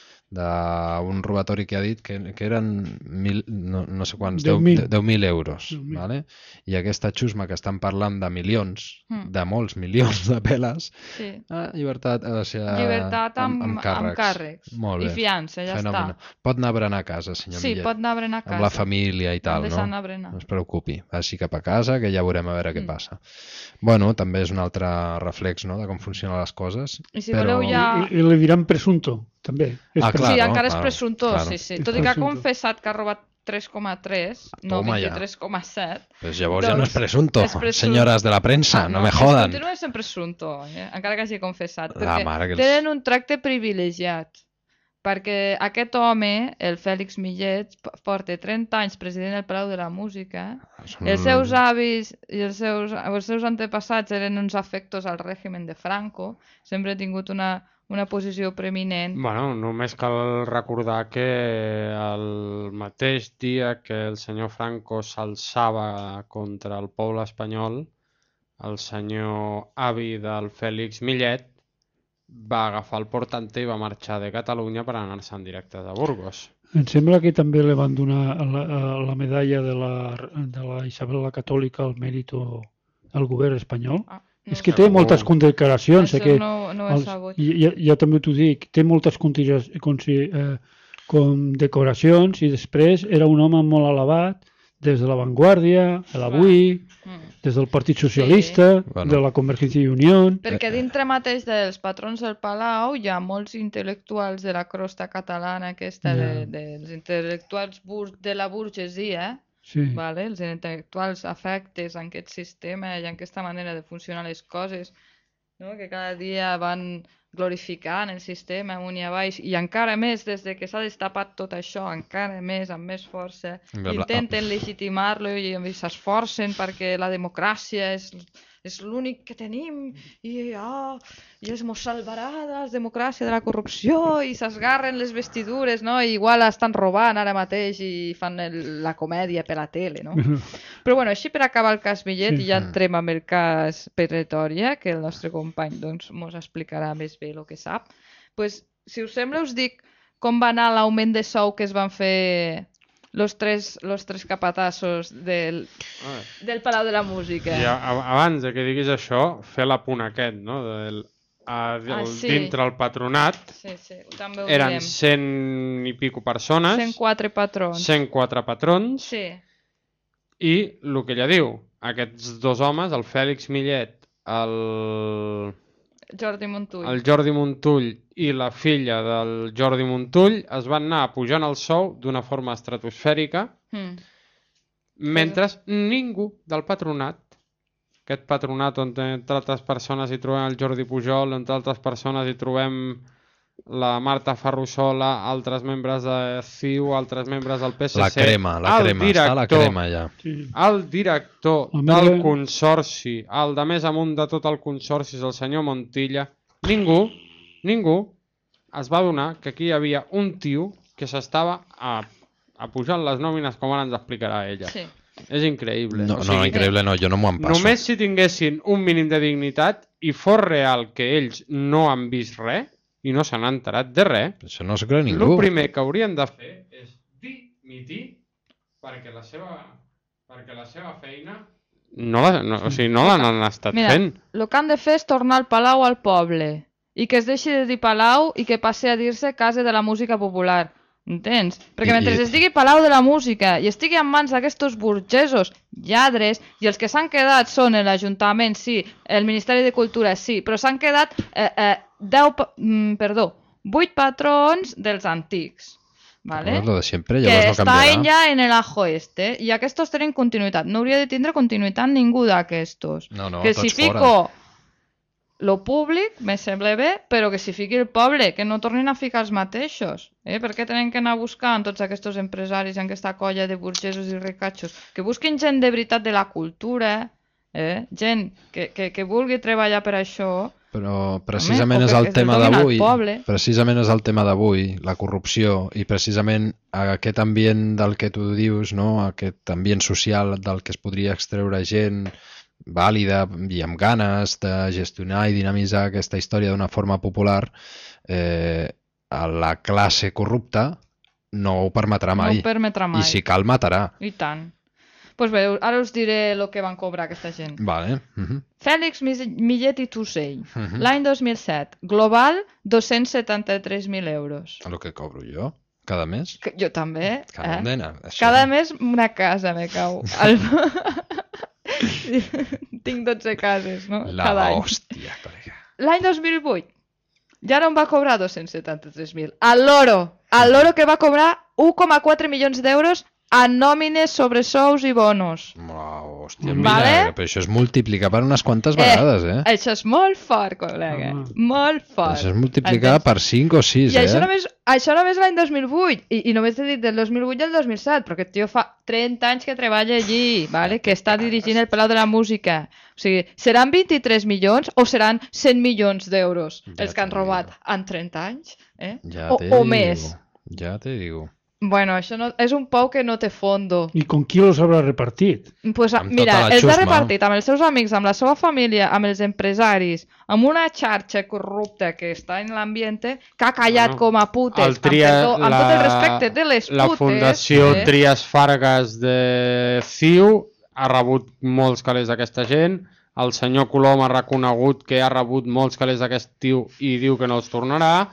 d'un robatori que ha dit que, que eren mil, no, no sé quants, deu mil. deu mil euros. deu mil. Vale? I aquesta xusma que estan parlant de milions, Mm. de molts milions de peles, Sí. ah, llibertat, ha de ser, Llibertat amb, amb, amb càrrecs. amb càrrecs. Molt I bé. fiança, ja Fenomenal. està. Pot anar a berenar a casa, senyor Sí, Millet. pot anar a berenar a casa. Amb la família i tal, Deixar no? anar a berenar. No es preocupi, vagi cap a casa que ja veurem a veure què Mm. passa. Bueno, també és un altre reflex, no?, de com funcionen les coses. I si però... voleu ja... I, i li diran presunto, també. És Ah, pre- clar. sí, no? encara és Claro, presumptor, claro. sí, sí. És Tot i que ha presumptor. confessat que ha robat tres coma tres, no Toma ja. vint-i-tres coma set. Pues llavors ja no és Doncs presunto, és presum- senyores de la premsa, Ah, no, me és- jodan. Continua sent presumptor, eh? encara que hagi confessat. La Perquè mare que els- tenen un tracte privilegiat. Perquè aquest home, el Fèlix Millet, p- porta trenta anys president del Palau de la Música. Són- Els seus avis i els seus, els seus antepassats eren uns afectos al règim de Franco. Sempre ha tingut una, una posició preeminent. Bueno, només cal recordar que el mateix dia que el senyor Franco s'alçava contra el poble espanyol, el senyor avi del Fèlix Millet va agafar el portante i va marxar de Catalunya per anar-se en directe a Burgos. Em sembla que també li van donar la, la medalla de la, de la Isabel la Catòlica al mèrit al govern espanyol. Ah, És no que sé. té moltes condecoracions. Això que no, no ho he els- sabut. i, jo, jo també t'ho dic, té moltes conti- consi- eh, condecoracions i després era un home molt elevat des de l'avantguàrdia, a l'avui, Mm. des del Partit Socialista, Bueno. de la Convergència i Unió. Perquè dintre mateix dels patrons del Palau hi ha molts intel·lectuals de la crosta catalana aquesta, de, Ja. dels intel·lectuals bur de la burgesia, Sí. vale? Els intel·lectuals afectes en aquest sistema i en aquesta manera de funcionar les coses, no? Que cada dia van glorificant el sistema amunt i avall i encara més des de que s'ha destapat tot això, encara més, amb més força, Bla, bla. intenten legitimar-lo i, i s'esforcen perquè la democràcia és, és l'únic que tenim i, oh, i es mos salvarà de la democràcia, de la corrupció i s'esgarren les vestidures, no? I igual estan robant ara mateix i fan el, la comèdia per la tele, no? Però bueno, així per acabar el cas Millet Sí. i ja entrem amb el cas Pretòria, que el nostre company doncs, mos explicarà més bé el que sap. Pues, si us sembla, us dic com va anar l'augment de sou que es van fer los tres, los tres capatassos del, del Palau de la Música. I a, a, abans de que diguis això, fer l'apunt aquest, no? Del, a, del, Ah, sí. dintre el patronat Sí, sí, també ho eren direm. cent i pico persones, cent quatre patrons. cent quatre patrons, Sí, i el que ella diu, aquests dos homes, el Fèlix Millet, el, Jordi Montull. El Jordi Montull i la filla del Jordi Montull es van anar pujant el sou d'una forma estratosfèrica, mm. mentre ningú del patronat, aquest patronat on entre altres persones hi trobem el Jordi Pujol, entre altres persones hi trobem la Marta Ferrusola, altres membres de C I U, altres membres del P S C... La crema, la crema, director, està la crema ja. El director del consorci, el de més amunt de tot el consorci, és el senyor Montilla. Ningú, ningú es va adonar que aquí hi havia un tio que s'estava a, a pujant les nòmines, com ara ens explicarà ella. Sí. És increïble. No, o sigui, no, increïble no, jo no m'ho en passo. Només si tinguessin un mínim de dignitat i fos real que ells no han vist res, i no se n'ha enterat de res, això no s'ho creu ningú. El primer que haurien de fer és dimitir perquè la seva, perquè la seva feina no l'han no, o sigui, no l'han estat Mira, fent. El que han de fer és tornar el Palau al poble i que es deixi de dir Palau i que passi a dir-se Casa de la Música Popular. Entens? Perquè mentre I... es digui Palau de la Música i estigui en mans d'aquests burgesos lladres, i els que s'han quedat són l'Ajuntament, sí, el Ministeri de Cultura, sí, però s'han quedat eh, eh, deu, mm, perdó, vuit patrons dels antics. ¿Vale? Lo de siempre, que no estan ja en el ajo este i aquests tenen continuïtat. No hauria de tindre continuïtat ningú d'aquestos. No, no, que si fico fora. Lo públic me sembla bé, però que si fiqui el poble, que no tornin a ficar els mateixos. Eh? Per què tenen que anar buscant tots aquests empresaris en aquesta colla de burgesos i ricatxos? Que busquin gent de veritat de la cultura, eh? Gent que, que, que vulgui treballar per això. Però precisament Home, és el tema d'avui, precisament és el tema d'avui, la corrupció, i precisament aquest ambient del que tu dius, no? Aquest ambient social del que es podria extreure gent vàlida i amb ganes de gestionar i dinamitzar aquesta història d'una forma popular, eh, a la classe corrupta no ho permetrà mai. No ho permetrà mai. I si cal, matarà. I tant. Doncs pues bé, ara us diré el que van cobrar aquesta gent. Vale. Uh -huh. Fèlix Millet i Tussell, uh -huh. l'any dos mil set, global dos-cents setanta-tres mil euros. El que cobro jo? Cada mes? Que, jo també. Cada, eh? nena, Cada mes una casa me cau. El... Tinc dotze cases, no? La Cada any. hòstia, colega. L'any dos mil vuit ja no em va cobrar dos-cents setanta-tres mil. El loro, el loro que va cobrar un coma quatre milions d'euros en nòmines, sobresous i bonos. Oh, hòstia, mira, vale? Però això és multiplicar per unes quantes vegades, eh? eh? Això és molt fort, col·lega. Uh -huh. Molt fort. Això és multiplicar per cinc o sis, I eh? I això només, això només l'any dos mil vuit. I, I només t'he dit del dos mil vuit i el dos mil set, perquè el tio fa trenta anys que treballa allí, vale? Que està dirigint el Palau de la Música. O sigui, seran vint-i-tres milions o seran cent milions d'euros ja els que han robat digo. En trenta anys? Eh? Ja o, te o digo. més. Ja te digo. Bueno, això no, és un pou que no té fondo. I com qui los haurà repartit? Pues, mira, els ha repartit amb els seus amics, amb la seva família, amb els empresaris, amb una xarxa corrupta que està en l'ambient, que ha callat bueno, com a putes, tria, amb, perdó, la, amb tot el respecte de les putes. La Fundació eh? Trias Fargas de C I U ha rebut molts calés d'aquesta gent, el senyor Colom ha reconegut que ha rebut molts calés d'aquest tio i diu que no els tornarà,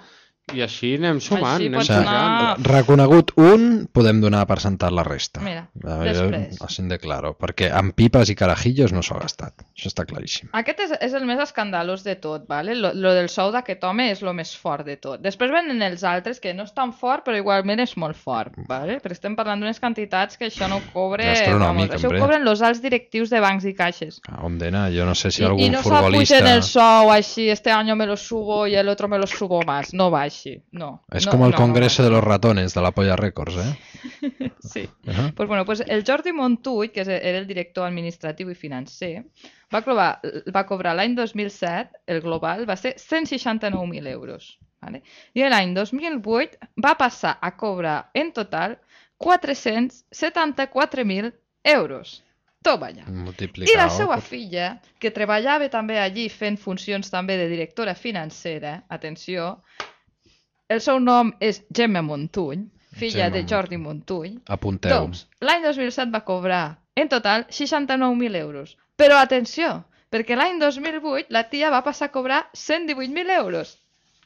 i així anem sumant. Així anem pots anar... Reconegut un, podem donar per sentat la resta. Mira, veure, després. Així de claro, perquè amb pipes i carajillos no s'ho ha gastat. Això està claríssim. Aquest és, és el més escandalós de tot, ¿vale? Lo, lo del sou d'aquest home és el més fort de tot. Després venen els altres, que no és tan fort, però igualment és molt fort, ¿vale? Perquè estem parlant d'unes quantitats que això no cobre... Vamos, això ho cobren els alts directius de bancs i caixes. A on d'anar? Jo no sé si I, algun i no futbolista... I no s'apugen el sou així, este año me lo subo y el otro me lo subo más. No va així. No, es no, como el no, Congreso no, no. de los Ratones de la Polla Records, ¿eh? Sí. Uh-huh. Pues bueno, pues el Jordi Montull, que era el director administratiu i financer, va cobrar, va cobrar l'any dos mil set, el global va ser cent seixanta-nou mil euros. ¿Vale? I l'any dos mil vuit va passar a cobrar en total quatre-cents setanta-quatre mil euros. Toma allà. I la seva per... filla, que treballava també allí fent funcions també de directora financera, atenció, el seu nom és Gemma Montull, filla Gemma. de Jordi Montull. Apunteu. Doncs, l'any dos mil set va cobrar, en total, seixanta-nou mil euros. Però atenció, perquè l'any dos mil vuit la tia va passar a cobrar cent divuit mil euros.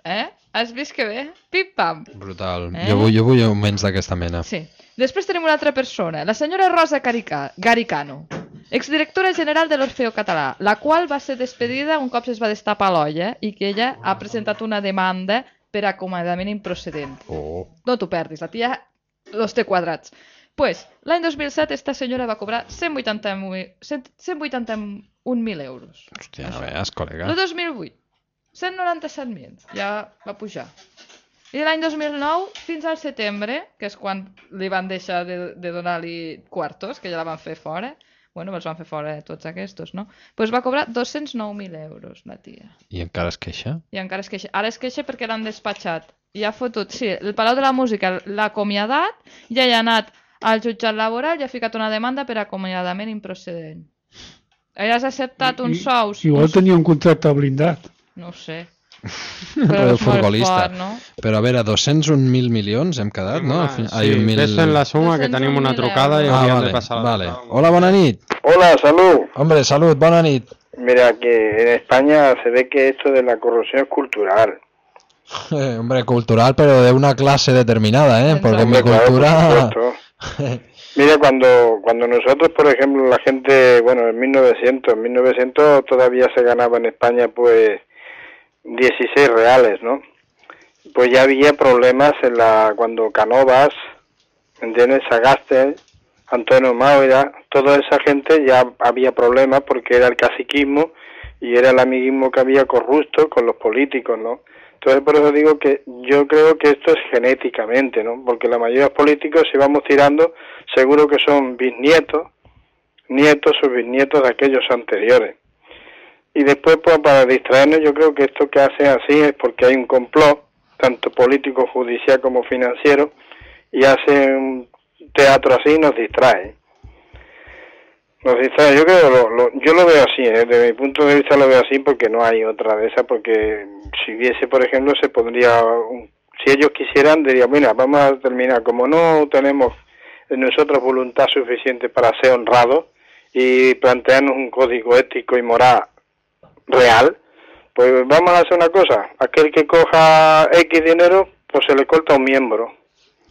Eh? Has vist que bé? Pim-pam. Brutal. Eh? Jo, vull, jo vull augments d'aquesta mena. Sí. Després tenim una altra persona, la senyora Rosa Carica, Garicano. exdirectora general de l'Orfeo Català, la qual va ser despedida un cop es va destapar l'olla i que ella ha presentat una demanda per acomiadament improcedent. Oh. No t'ho perdis, la tia los té quadrats. Pues, l'any dos mil set esta senyora va cobrar cent vuitanta-un mil euros. Hòstia, no veus, col·lega. El dos mil vuit, cent noranta-set mil, ja va pujar. I l'any dos mil nou, fins al setembre, que és quan li van deixar de, de donar-li quartos, que ja la van fer fora, bueno, els van fer fora tots aquests, no? Doncs pues va cobrar dos-cents nou mil euros, la tia. I encara es queixa? I encara es queixa. Ara es queixa perquè l'han despatxat. I ha fotut, sí, el Palau de la Música l'ha acomiadat, ja hi ha anat al jutjat laboral i ha ficat una demanda per acomiadament improcedent. Ella has acceptat uns sous... Igual tenia un contracte blindat. No ho sé. Però és molt fort, no? Però a veure, dos-cents un mil milions hem quedat, no? Sí, ves fent la suma que tenim una trucada i hauríem de passar la vale. Hola, bona nit. Hola, salud. Hombre, salud, bona nit. Mira, que en España se ve que esto de la corrupción es cultural. Eh, hombre, cultural, pero de una clase determinada, ¿eh? Porque mi cultura... Claro, mira, cuando cuando nosotros, por ejemplo, la gente, bueno, en mil novecientos, en mil novecientos todavía se ganaba en España, pues, dieciséis reales, ¿no? Pues ya había problemas en la cuando Cánovas, ¿entiendes? Sagasti, Antonio Maura, toda esa gente ya había problemas porque era el caciquismo y era el amiguismo que había corrupto con los políticos, ¿no? Entonces por eso digo que yo creo que esto es genéticamente, ¿no? Porque la mayoría de los políticos, si vamos tirando, seguro que son bisnietos, nietos o bisnietos de aquellos anteriores. Y después, pues para distraernos, yo creo que esto que hacen así es porque hay un complot, tanto político, judicial como financiero, y hacen un teatro así y nos distrae. Nos distrae. Yo creo, lo, lo, yo lo veo así, ¿eh? Desde mi punto de vista lo veo así porque no hay otra de esas, porque si hubiese, por ejemplo, se pondría, un, si ellos quisieran, dirían, mira, vamos a terminar, como no tenemos en nosotros voluntad suficiente para ser honrados y plantearnos un código ético y moral real, pues vamos a hacer una cosa, aquel que coja X dinero, pues se le corta un miembro.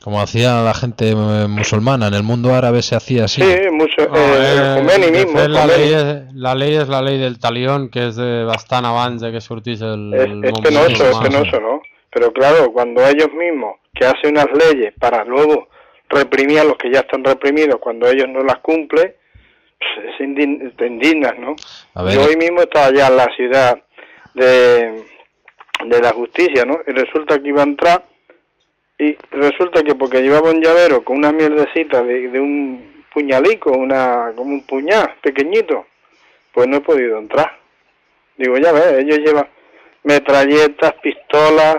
Como hacía la gente musulmana, en el mundo árabe se hacía así. Sí, mucho, no, eh, eh, Khomeini mismo. Fet, la, Khomeini. ley es, la ley es la ley del talión, que es de bastant abans de que sortís el... Es, el es penoso, es musulmán. penoso, ¿no? Pero claro, cuando ellos mismos, que hacen unas leyes para luego reprimir a los que ya están reprimidos, cuando ellos no las cumplen, pues es indign, te indignas, ¿no? Yo hoy mismo estaba allá en la ciudad de, de la justicia, ¿no? Y resulta que iba a entrar y resulta que porque llevaba un llavero con una mierdecita de, de un puñalico, una como un puñal pequeñito, pues no he podido entrar. Digo, ya ves, ellos llevan metralletas, pistolas,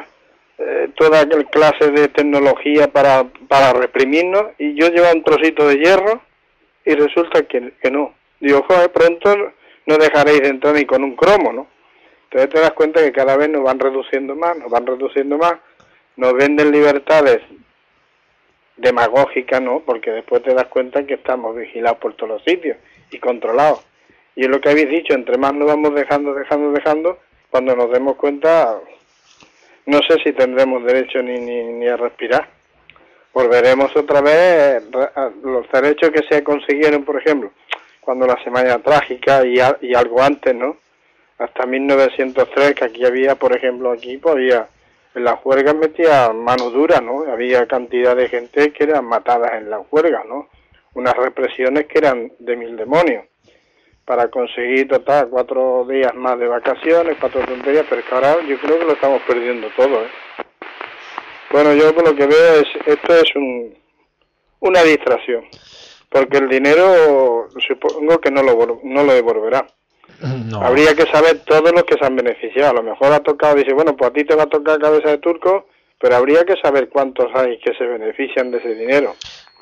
eh, toda clase de tecnología para, para reprimirnos, y yo llevo un trocito de hierro y resulta que, que no. Digo, joder, pronto no dejaréis de entrar ni con un cromo, ¿no? Entonces te das cuenta que cada vez nos van reduciendo más, nos van reduciendo más, nos venden libertades demagógicas, ¿no? Porque después te das cuenta que estamos vigilados por todos los sitios y controlados. Y es lo que habéis dicho, entre más nos vamos dejando, dejando, dejando, cuando nos demos cuenta, no sé si tendremos derecho ni, ni, ni a respirar. Volveremos otra vez a los derechos que se consiguieron, por ejemplo, cuando la Semana Trágica y, a, y algo antes, ¿no? Hasta mil novecientos tres, que aquí había, por ejemplo, aquí pues había, en las juergas metía mano dura, ¿no? Había cantidad de gente que eran matadas en las juergas, ¿no? Unas represiones que eran de mil demonios, para conseguir total cuatro días más de vacaciones, cuatro tonterías, pero es que ahora yo creo que lo estamos perdiendo todo, ¿eh? Bueno, yo por lo que veo es, esto es un, una distracción, porque el dinero supongo que no lo, no lo devolverá. No. Habría que saber todos los que se han beneficiado. A lo mejor ha tocado, dice, bueno, pues a ti te va a tocar cabeza de turco, pero habría que saber cuántos hay que se benefician de ese dinero.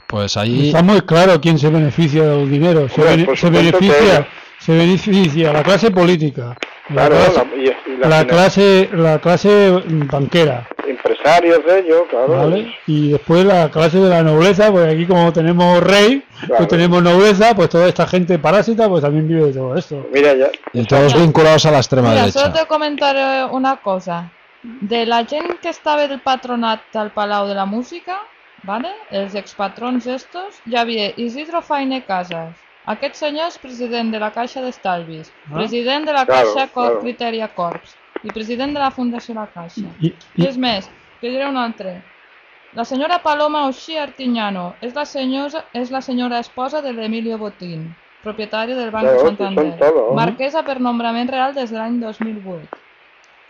Pues ahí... Está muy claro quién se beneficia del dinero. Se, bueno, bene se beneficia se beneficia la clase política, la, claro, clase, la, y, y la, la, clase, la clase banquera. Empresarios de ellos, claro. ¿Vale? Y después la clase de la nobleza, pues aquí como tenemos rey, claro, pues tenemos nobleza, pues toda esta gente parásita pues también vive de todo esto. Mira ya. Y todos vinculados a la extrema Mira, derecha. Solo te comentaré una cosa. De la gent que estava del patronat al Palau de la Música, ¿vale? Els expatrons estos, hi havia Isidro Faine Casas, Aquest senyor és president de la Caixa d'Estalvis, Ah. president de la Claro, Caixa Cor claro. Criteria Corps i president de la Fundació La Caixa. I, I i, és més, que diré un altre. La senyora Paloma Oxí Artiñano és la, senyora, és la senyora esposa de l'Emilio Botín, propietari del Banco Claro, Santander, son todos. marquesa per nombrament real des de l'any dos mil vuit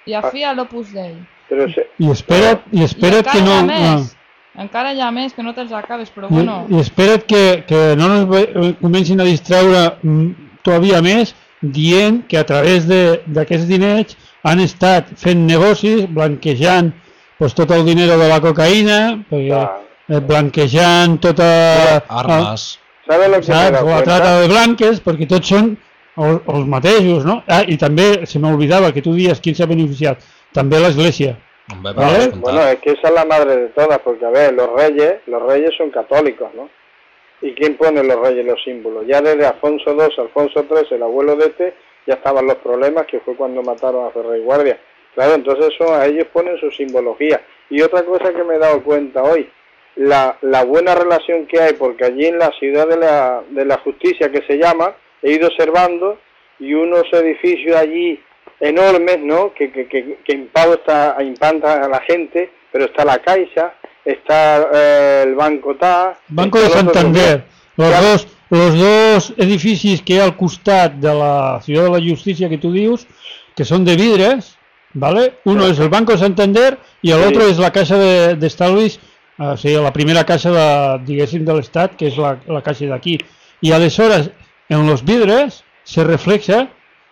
i afí a l'Opus Dei. Pero se... i espera't, i I espera't encara que hi no... ha ah. més, encara hi ha més, que no te'ls acabes, però I, bueno... i espera't que, que no ens ve- comencin a distreure mm, todavía més dient que a través de- d'aquests diners han estat fent negocis, blanquejant pues, tot el diner de la cocaïna, perquè, Ah. eh, blanquejant tota... Armes. ¿Sabes lo que me he Saps? dado O la cuenta? trata de blanques, perquè tots són els, els mateixos, no? Ah, i també se m'oblidava que tu dies qui s'ha beneficiat, també l'Església. Hombre, ¿Vale? per descomptat. Bueno, es que esa es la madre de todas, porque a ver, los reyes, los reyes son católicos, ¿no? ¿Y quién pone los reyes los símbolos? Ya desde Alfonso segundo, Alfonso tercero, el abuelo de este, ya estaban los problemas, que fue cuando mataron a Ferrer y Guardia. Claro, entonces son, a ellos ponen su simbología. Y otra cosa que me he dado cuenta hoy, la, la buena relación que hay, porque allí en la ciudad de la, de la justicia, que se llama, he ido observando, y unos edificios allí enormes, ¿no?, que, que, que, que impado está, impanta a la gente, pero está la Caixa, está eh, el Banco T A... Banco de Santander, los dos, los dos edificis que hi ha al costat de la Ciutat de la Justícia que tu dius, que són de vidres, ¿vale? Uno es el Banco de Santander y el Sí. otro es la Caixa de, de Estalvis, o sigui, la primera caixa de, diguéssim, de l'Estat, que és la, la caixa d'aquí. I aleshores, en los vidres se refleja,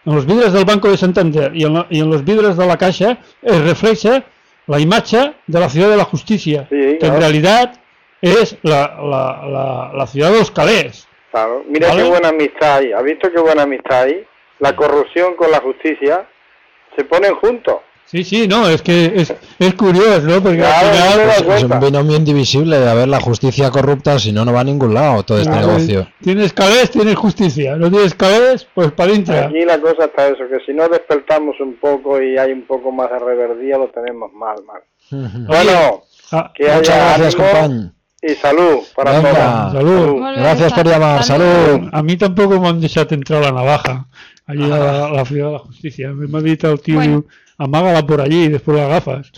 en los vidres del Banco de Santander y en, lo, y en los vidres de la caixa es refleja la imatge de la Ciudad de la Justicia, Sí, que claro. en realidad es la, la, la, la ciudad de los calés. Claro, mira ¿Vale? qué buena amistad hay. ¿Has visto qué buena amistad hay? La corrupción con la justicia se ponen juntos. Sí, sí, no, es que es, es curioso, ¿no? Porque Claro, al no me final... das Es un cuenta. binomio indivisible de haber la justicia corrupta, si no, no va a ningún lado todo este Claro, negocio. Tienes calés, tienes justicia. No tienes calés, pues para adentro. Aquí la cosa está eso, que si no despertamos un poco y hay un poco más de reverdía, lo tenemos mal, mal. Bueno, Ah, que Muchas haya gracias, ánimo compañ. y salud para Venga. todos. Salud. Molt bé, Gracias por sa- llamar. Salud. a mí tampoco me han dejado entrar la navaja allí a la, a la ciudad de la justicia. Me ha dicho el tío, Bueno. amágala por allí y después la agafas.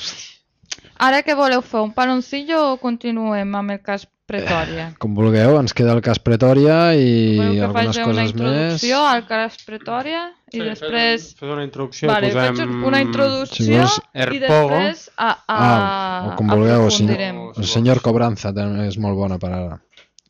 Ara què voleu fer? Un paloncillo o continuem amb el cas Pretòria? Com vulgueu, ens queda el cas Pretòria i Voleu que algunes faci una coses més. introducció al cas Pretòria i Sí, després... Fes una introducció, Vale, posem... faig una introducció Si vols, i Erpogo. després a, a, Ah, o com vulgueu, o si no, aprofundirem. el senyor Cobranza també és molt bona per ara.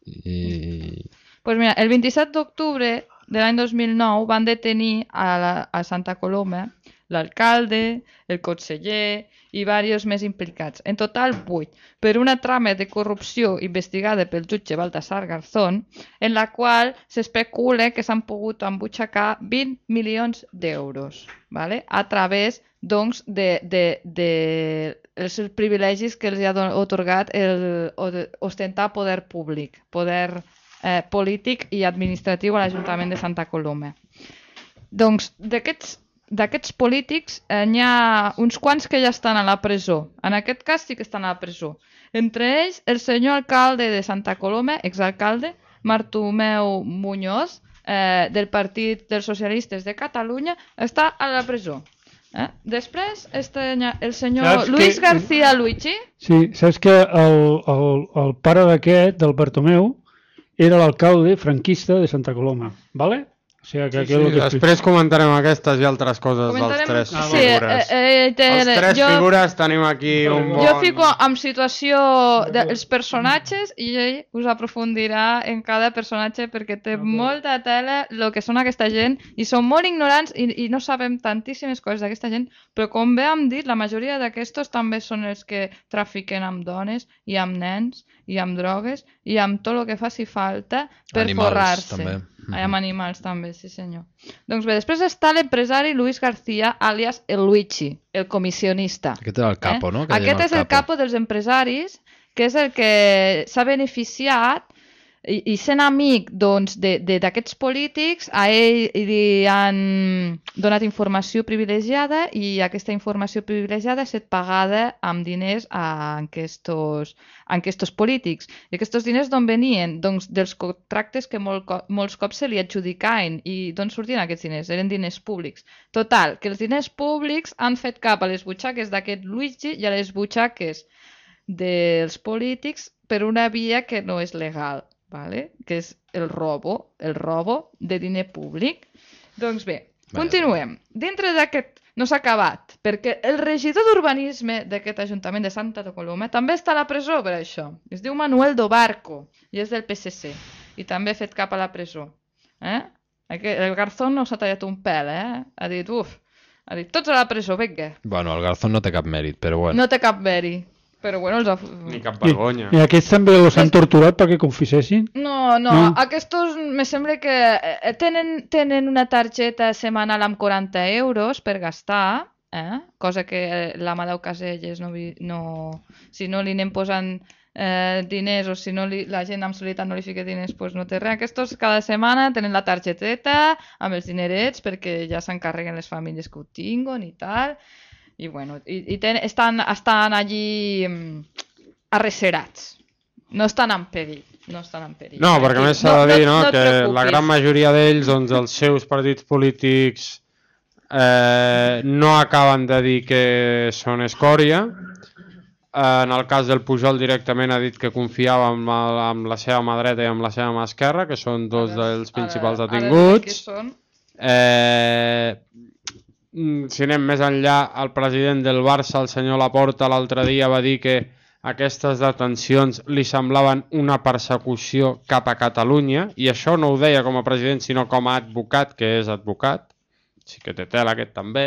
I... Pues mira, el vint-i-set d'octubre de l'any dos mil nou van detenir a, la, a Santa Coloma l'alcalde, el conseller i diversos més implicats. En total, vuit, per una trama de corrupció investigada pel jutge Baltasar Garzón, en la qual s'especula que s'han pogut embutxacar vint milions d'euros, ¿vale? A través doncs, de, de, de els privilegis que els ha don- otorgat el, o de- ostentar poder públic, poder eh, polític i administratiu a l'Ajuntament de Santa Coloma. Doncs d'aquests d'aquests polítics eh, n'hi ha uns quants que ja estan a la presó. En aquest cas sí que estan a la presó. Entre ells, el senyor alcalde de Santa Coloma, exalcalde, Bartomeu Muñoz, eh, del Partit dels Socialistes de Catalunya, està a la presó. Eh? Després, este, el senyor Saps Luis que- García Luigi, Sí, saps que el, el, el pare d'aquest, del Bartomeu, era l'alcalde franquista de Santa Coloma, ¿vale? O sigui que Sí, aquí és el sí, que després comentarem aquestes i altres coses comentarem... dels tres Ah, sí, figures. eh, eh, té- Els tres jo... figures tenim aquí un bon... Jo fico en situació dels personatges i ell us aprofundirà en cada personatge perquè té molta tela el que són aquesta gent i són molt ignorants i, i no sabem tantíssimes coses d'aquesta gent, però com bé hem dit, la majoria d'aquestos també són els que trafiquen amb dones i amb nens i amb drogues i amb tot el que faci falta per Animals, forrar-se. també. I amb animals també, sí senyor. Doncs bé, després està l'empresari Luis García, alias el Luigi, el comissionista. Aquest era el capo, no? Que Aquest deien és el capo dels empresaris, que és el que s'ha beneficiat i, i sent amic doncs, d'aquests polítics, a ell li han donat informació privilegiada i aquesta informació privilegiada ha estat pagada amb diners a aquests, a aquests polítics. I aquests diners d'on venien? Doncs dels contractes que molt, molts cops se li adjudicaven. I d'on sortien aquests diners? Eren diners públics. Total, que els diners públics han fet cap a les butxaques d'aquest Luigi i a les butxaques dels polítics per una via que no és legal. Vale? Que és el robo, el robo de diner públic. Doncs bé, continuem. Dintre d'aquest no s'ha acabat, perquè el regidor d'urbanisme d'aquest Ajuntament de Santa Coloma també està a la presó per això. Es diu Manuel Dobarco i és del P S C i també ha fet cap a la presó. Eh? El Garzón no s'ha tallat un pèl, eh? Ha dit, uf, ha dit, tots a la presó, vinga. Bueno, el Garzón no té cap mèrit, però bueno. No té cap mèrit. Però bueno, els ha... Ni cap vergonya. I, i aquests també els han torturat perquè confessessin? No, no, no. Aquests me sembla que tenen, tenen una targeta setmanal amb quaranta euros per gastar, eh? Cosa que l'Amadeu Caselles no, no... Si no li anem posant eh, diners o si no li, la gent amb solidaritat no li fica diners, pues no té res. Aquests cada setmana tenen la targeteta amb els dinerets perquè ja s'encarreguen les famílies que ho tinguen i tal... I, bueno, i, i ten, estan, estan allí um, arrecerats. No estan en perill. No, estan en perill. No, perquè a més s'ha de dir no, no, no que la gran majoria d'ells, doncs, els seus partits polítics eh, no acaben de dir que són escòria. Eh, en el cas del Pujol directament ha dit que confiava amb, el, amb la seva mà dreta i amb la seva mà esquerra, que són dos ara, dels principals ara, detinguts. Ara eh, si anem més enllà, el president del Barça, el senyor Laporta, l'altre dia va dir que aquestes detencions li semblaven una persecució cap a Catalunya, i això no ho deia com a president, sinó com a advocat, que és advocat, sí que té tela aquest també,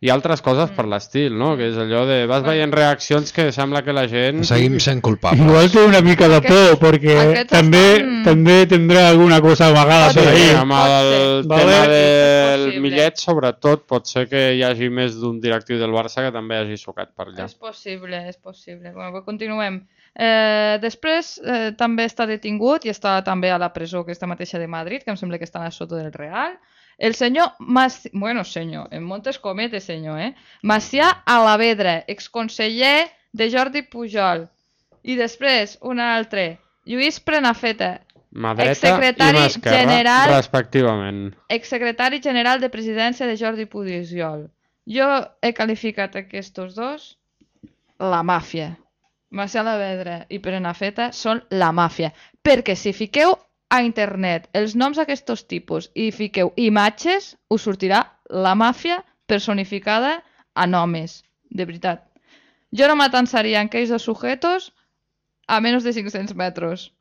i altres coses per l'estil, no? Que és allò de... Vas veient reaccions que sembla que la gent... Seguim sent culpables. Igual té una mica de por, perquè també, estan... també tindrà alguna cosa amagada per ahí. Amb el vale. tema del Millet, sobretot, pot ser que hi hagi més d'un directiu del Barça que també hagi sucat per allà. És possible, és possible. Bueno, continuem. Eh, després eh, també està detingut i està també a la presó aquesta mateixa de Madrid, que em sembla que està a Soto del Real. El senyor, Maci... bueno senyor, en moltes cometes senyor, eh? Macià Alavedra, exconseller de Jordi Pujol. I després, un altre, Lluís Prenafeta, exsecretari general, respectivament. Exsecretari general de presidència de Jordi Pujol. Jo he qualificat aquests dos la màfia. Macià Alavedra i Prenafeta són la màfia. Perquè si fiqueu a internet els noms d'aquests tipus i fiqueu imatges, us sortirà la màfia personificada a homes, de veritat. Jo no m'atansaria en aquells dos sujetos a menys de cinc-cents metres,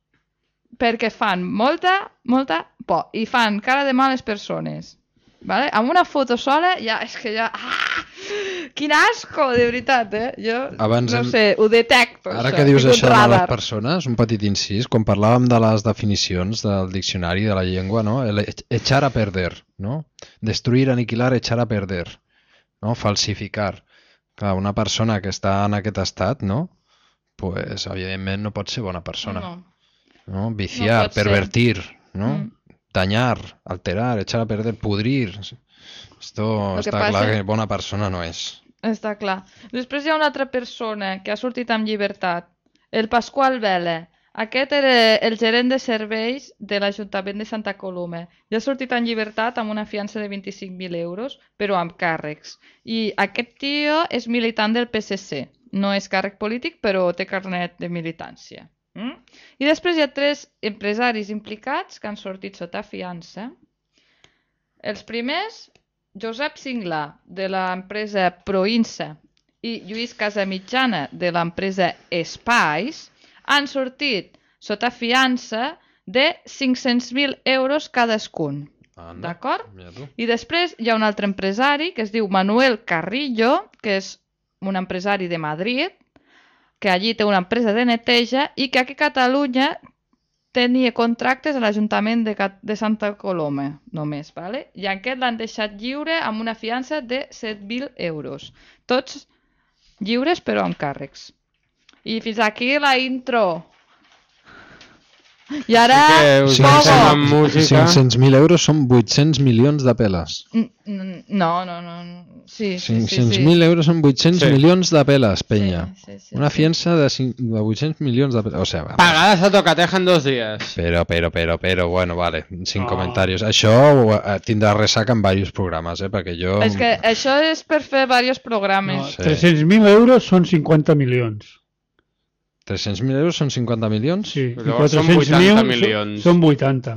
perquè fan molta, molta por i fan cara de males persones. Vale? Amb una foto sola ja és que ja... Ah! Quin asco, de veritat, eh? Jo Abans no hem... sé, ho detecto. Ara això, que dius això radar. De les persones, un petit incís, quan parlàvem de les definicions del diccionari de la llengua, no? El echar a perder, no? Destruir, aniquilar, echar a perder, no? Falsificar. Clar, una persona que està en aquest estat, no? Pues, evidentment, no pot ser bona persona. No. No? Viciar, no pervertir, no? Mm. Dañar, alterar, echar a perder, pudrir... Esto està passa... clar que bona persona no és. Està clar. Després hi ha una altra persona que ha sortit amb llibertat, el Pasqual Vela. Aquest era el gerent de serveis de l'Ajuntament de Santa Coloma. I ha sortit en llibertat amb una fiança de vint-i-cinc mil euros, però amb càrrecs. I aquest tio és militant del P S C. No és càrrec polític, però té carnet de militància. Mm? I després hi ha tres empresaris implicats que han sortit sota fiança. Els primers... Josep Singla, de l'empresa Proinsa, i Lluís Casamitjana, de l'empresa Espais, han sortit sota fiança de cinc-cents mil euros cadascun. D'acord? I després hi ha un altre empresari que es diu Manuel Carrillo, que és un empresari de Madrid, que allí té una empresa de neteja i que aquí a Catalunya tenia contractes a l'Ajuntament de, de Santa Coloma, només, ¿vale? I aquest l'han deixat lliure amb una fiança de set mil euros. Tots lliures, però amb càrrecs. I fins aquí la intro. I ara... Sí cinc-cents mil euros són vuit-cents milions de peles. No, no, no. Sí, sí, cinc-cents mil euros són vuit-cents sí. milions de peles, penya. Sí, sí, sí, Una sí. fiança de, de vuit-cents milions de peles. O sea, vamos. Pagadas a tocateja en dos días. Pero, pero, pero, pero, bueno, vale, sin No. comentarios. Això eh, tindrà ressaca en diversos programes, eh, perquè jo... És que això és per fer diversos programes. No, Sí. tres-cents mil euros són cinquanta milions. tres-cents mil euros són cinquanta milions? Sí, i Llavors són quatre-cents mil vuitanta són- milions. Són vuitanta.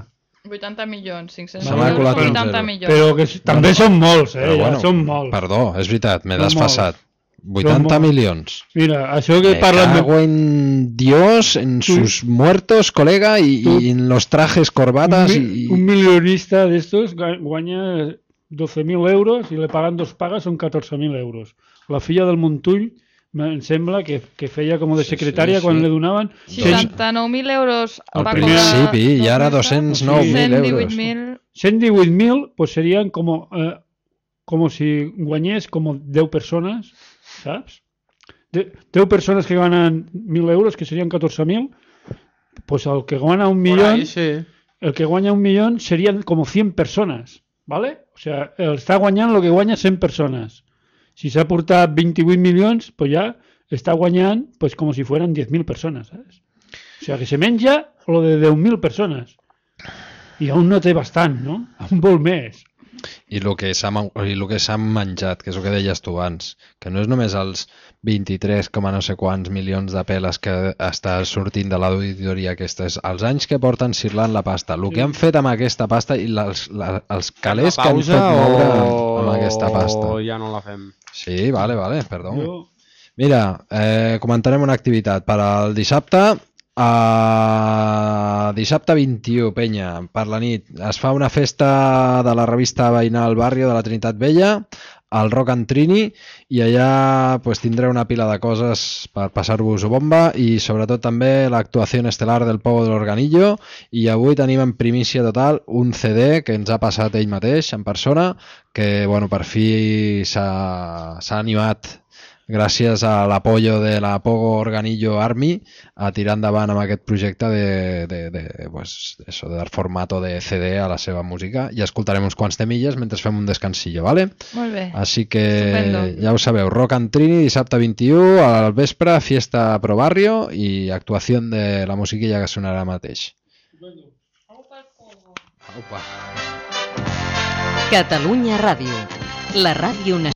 vuitanta milions, cinc-cents Se m'ha mil colat euros, un vuitanta zero. milions. Però que s- també són molts, eh? Però Ja, bueno, són molts. Perdó, és veritat, m'he Són desfassat. vuitanta molts. milions. Mira, això que Me parlen de... cago en Dios, en Tu- sus muertos, colega, y, Tu- y en los trajes, Un, corbatas mi- y... un milionista d'estos ga- guanya doce mil euros i le paguen dos pagues, són catorze mil euros. La filla del Montull, em sembla que, que feia com de Sí, secretària sí, quan sí. li donaven seixanta-nou mil euros Al va principi, cobrar i ara dos mesos. dos-cents nou mil cent divuit euros. mil. cent divuit mil, pues serien com, eh, com si guanyés com deu persones, saps? De, deu persones que ganen mil euros, que serien catorze mil, pues el que guanya un Por millón, ahí, sí. el que guanya un millón serien com cent persones, ¿vale? O sea, el està guanyant el que guanya cent persones. Si s'ha portat vint-i-vuit milions, pues ja està guanyant pues com si fueran diez mil persones, ¿sabes? O sea, que se menja lo de deu mil persones. I aún no té bastant, no? Aún vol més. I el que s'ha man- i el que s'ha menjat, que és el que deies tu abans, que no és només els vint-i-tres coma no sé quants milions de peles que està sortint de l'auditoria aquesta, és els anys que porten cirlant la pasta, el que han fet amb aquesta pasta i les, la, els calés que han fet moure amb, amb aquesta pasta. o ja no la fem? Sí, vale, vale, perdó. Jo, Mira, eh, comentarem una activitat per al dissabte. Uh, dissabte vint-i-u, penya, per la nit. Es fa una festa de la revista veïnal Barrio de la Trinitat Vella, al Rock and Trini, i allà pues, tindreu una pila de coses per passar-vos-ho bomba i sobretot també l'actuació estel·lar del Pogo de l'Organillo, i avui tenim en primícia total un C D que ens ha passat ell mateix en persona, que bueno, per fi s'ha s'ha animat gràcies a l'apoyo de la Pogo Organillo Army a tirar endavant amb aquest projecte de, de, de, pues, eso, del formato de C D a la seva música, i escoltarem uns quants temilles mentre fem un descansillo, ¿vale? Molt bé. Així que Estupendo. ja ho sabeu, Rock and Trini dissabte vint-i-u al vespre, fiesta pro barrio i actuació de la musiquilla que sonarà mateix. Aupa. Catalunya Ràdio, la ràdio nacional.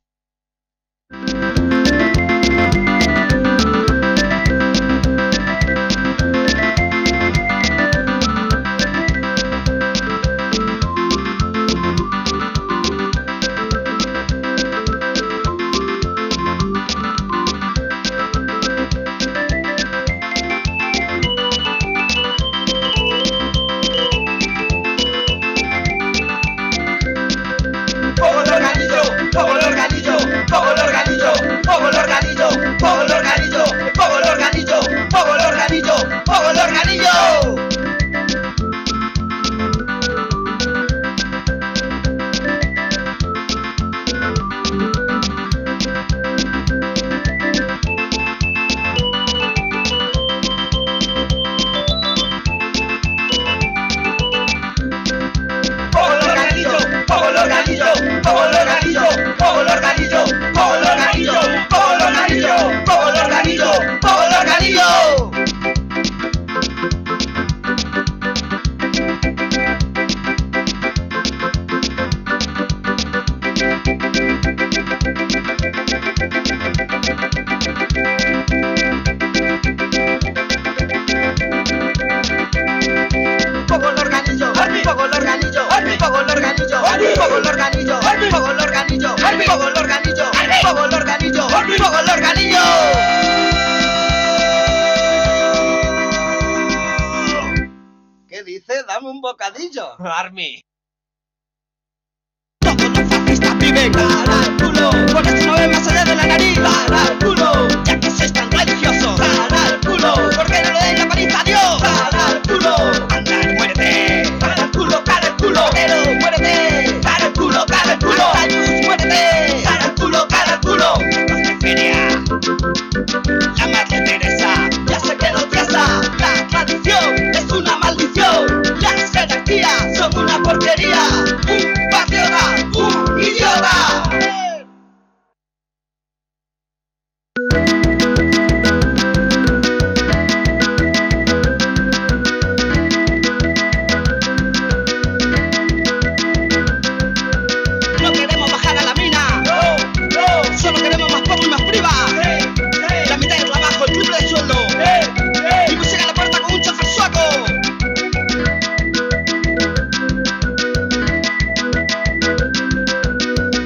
Pogo el organillo, pogo el organillo, pogo el organillo, pogo el organillo, pogo el organillo, pogo el organillo, pogo el organillo, pogo el organillo. Pogo el organillo, pogo el organillo, pogo el organillo, pogo el organillo, pogo el organillo, pogo el organillo, pogo el organillo, pogo el organillo. Pogo el organillo, pogo el organillo, pogo el organillo, pogo el organillo, pogo el organillo, pogo el organillo, pogo el organillo, pogo el organillo. ¿Qué dice? Dame un bocadillo, Army. Todos los fascistas viven cara al culo, por eso no ven más allá de la nariz, cara al culo, ya que sois tan religiosos, cara al culo, porque no le den la paliza a Dios, cara al culo, anda y muérete, cara al culo, cara al culo, pero muérete, cara al culo, cara al culo, Ayus, muérete, cara al culo, cara al culo, los de feria, la madre Teresa, ya se quedó tiesa, la tradición es una maldición. sería un patriota, un idiota. No queremos bajar a la mina, no, no, solo queremos más poco y más priva. Sí, sí. La mitad de trabajo, el triple de sueldo. Sí, sí. Y música en la puerta con un chofer suaco.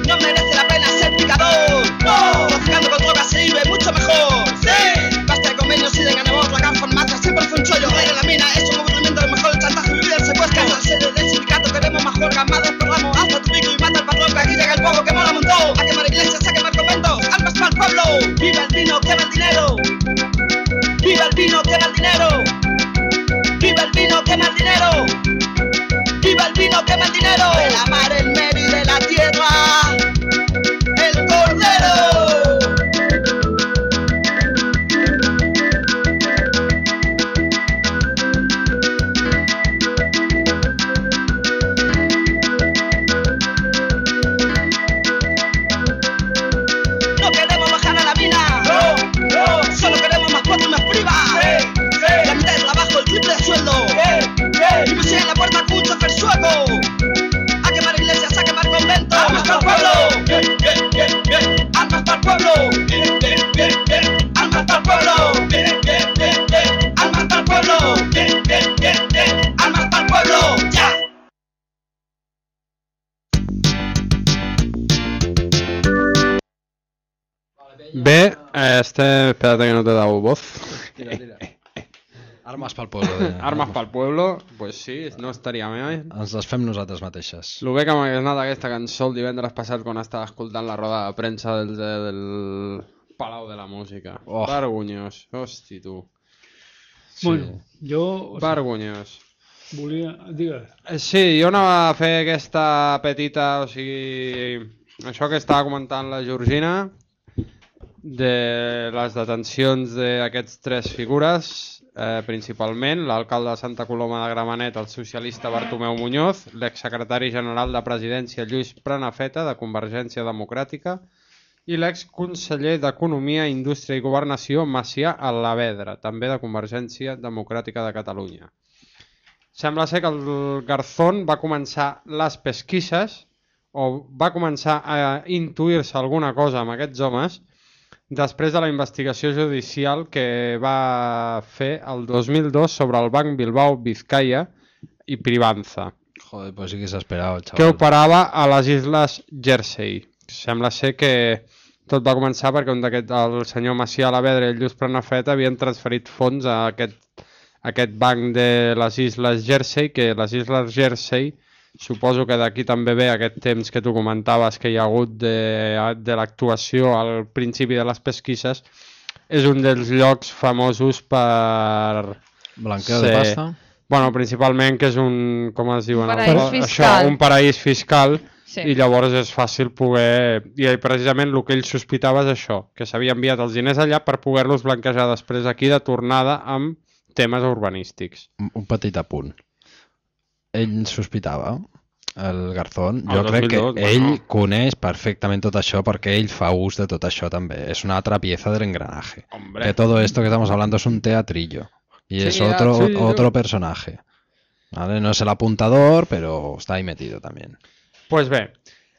No merece la pena ser picador. No, traficando con drogas se vive mucho mejor. Sí, basta de convenios y de ganemos. La gran farmacia siempre fue un chollo. Pero la mina es un aburrimiento, lo mejor el chantaje, vivir el secuestro. En la sede del sindicato queremos más huelga, más desperramos. Hasta tu pico y mata al patrón, que aquí llega el pueblo que mola un montón. A quemar iglesias, a quemar conventos, armas para el pueblo. Viva el vino, quema el dinero. Viva el vino, quema el dinero. Viva el vino, quema el dinero. Viva el vino, quema el dinero. De la mar, el medio y de la tierra, el cordero. No queremos bajar a la mina. No, no, solo queremos más cuatro y más priva. Sí, sí. La mitad de trabajo, el triple de sueldo. Sí, sí. Y me en la puerta con un chofer sueco. A quemar iglesias, a quemar conventos. Armas para el pueblo. Bien, bien, bien, bien. Armas para el pueblo. Bien, bien, bien, bien. Armas para el pueblo. Bien, bien, bien, bien. Armas para el pueblo. Bien, bien, bien, bien. Armas para el pueblo. Ya. Bé, este... Espérate que no te he dado voz. Tira, tira. Armes pel pueblo. Deia. Armes pel pueblo, pues sí, no estaria bé. Ens les fem nosaltres mateixes. El bé que m'ha anat aquesta cançó el divendres passat quan estava escoltant la roda de premsa del, del Palau de la Música. Oh. Vergonyós, hosti tu. Sí. Bueno, jo... O sigui, Vergonyós. volia... Digues. Eh, Sí, jo anava a fer aquesta petita, o sigui, això que estava comentant la Georgina, de les detencions d'aquests tres figures, eh, principalment l'alcalde de Santa Coloma de Gramenet, el socialista Bartomeu Muñoz, l'exsecretari general de Presidència Lluís Prenafeta, de Convergència Democràtica, i l'exconseller d'Economia, Indústria i Governació, Macià Alavedra, també de Convergència Democràtica de Catalunya. Sembla ser que el Garzón va començar les pesquisses, o va començar a intuir-se alguna cosa amb aquests homes, després de la investigació judicial que va fer el dos mil dos sobre el Banc Bilbao Vizcaya i Privanza. Joder, pues sí que s'esperava el xaval. Que operava a les Isles Jersey. Sembla ser que tot va començar perquè un d'aquest, el senyor Macià Alavedra i el Lluís Prenafeta havien transferit fons a aquest, a aquest banc de les Isles Jersey, que les Isles Jersey, suposo que d'aquí també ve aquest temps que tu comentaves que hi ha hagut de, de l'actuació al principi de les pesquisses, és un dels llocs famosos per... Blanqueo de pasta? Bueno, principalment que és un... com es diuen? Un paraís fiscal. Això, un paraís fiscal, sí. I llavors és fàcil poder... I precisament el que ell sospitava és això, que s'havia enviat els diners allà per poder-los blanquejar després aquí de tornada amb temes urbanístics. Un petit apunt. Ell sospitava, el Garzón, jo El crec que dos mil dos, ell bueno. coneix perfectament tot això perquè ell fa ús de tot això també. És una altra pieza del engranaje. Hombre. Que todo esto que estamos hablando es un teatrillo. Y Sí, es ya, otro, sí, otro yo- personaje. ¿Vale? No es el apuntador, pero está ahí metido también. Doncs pues bé,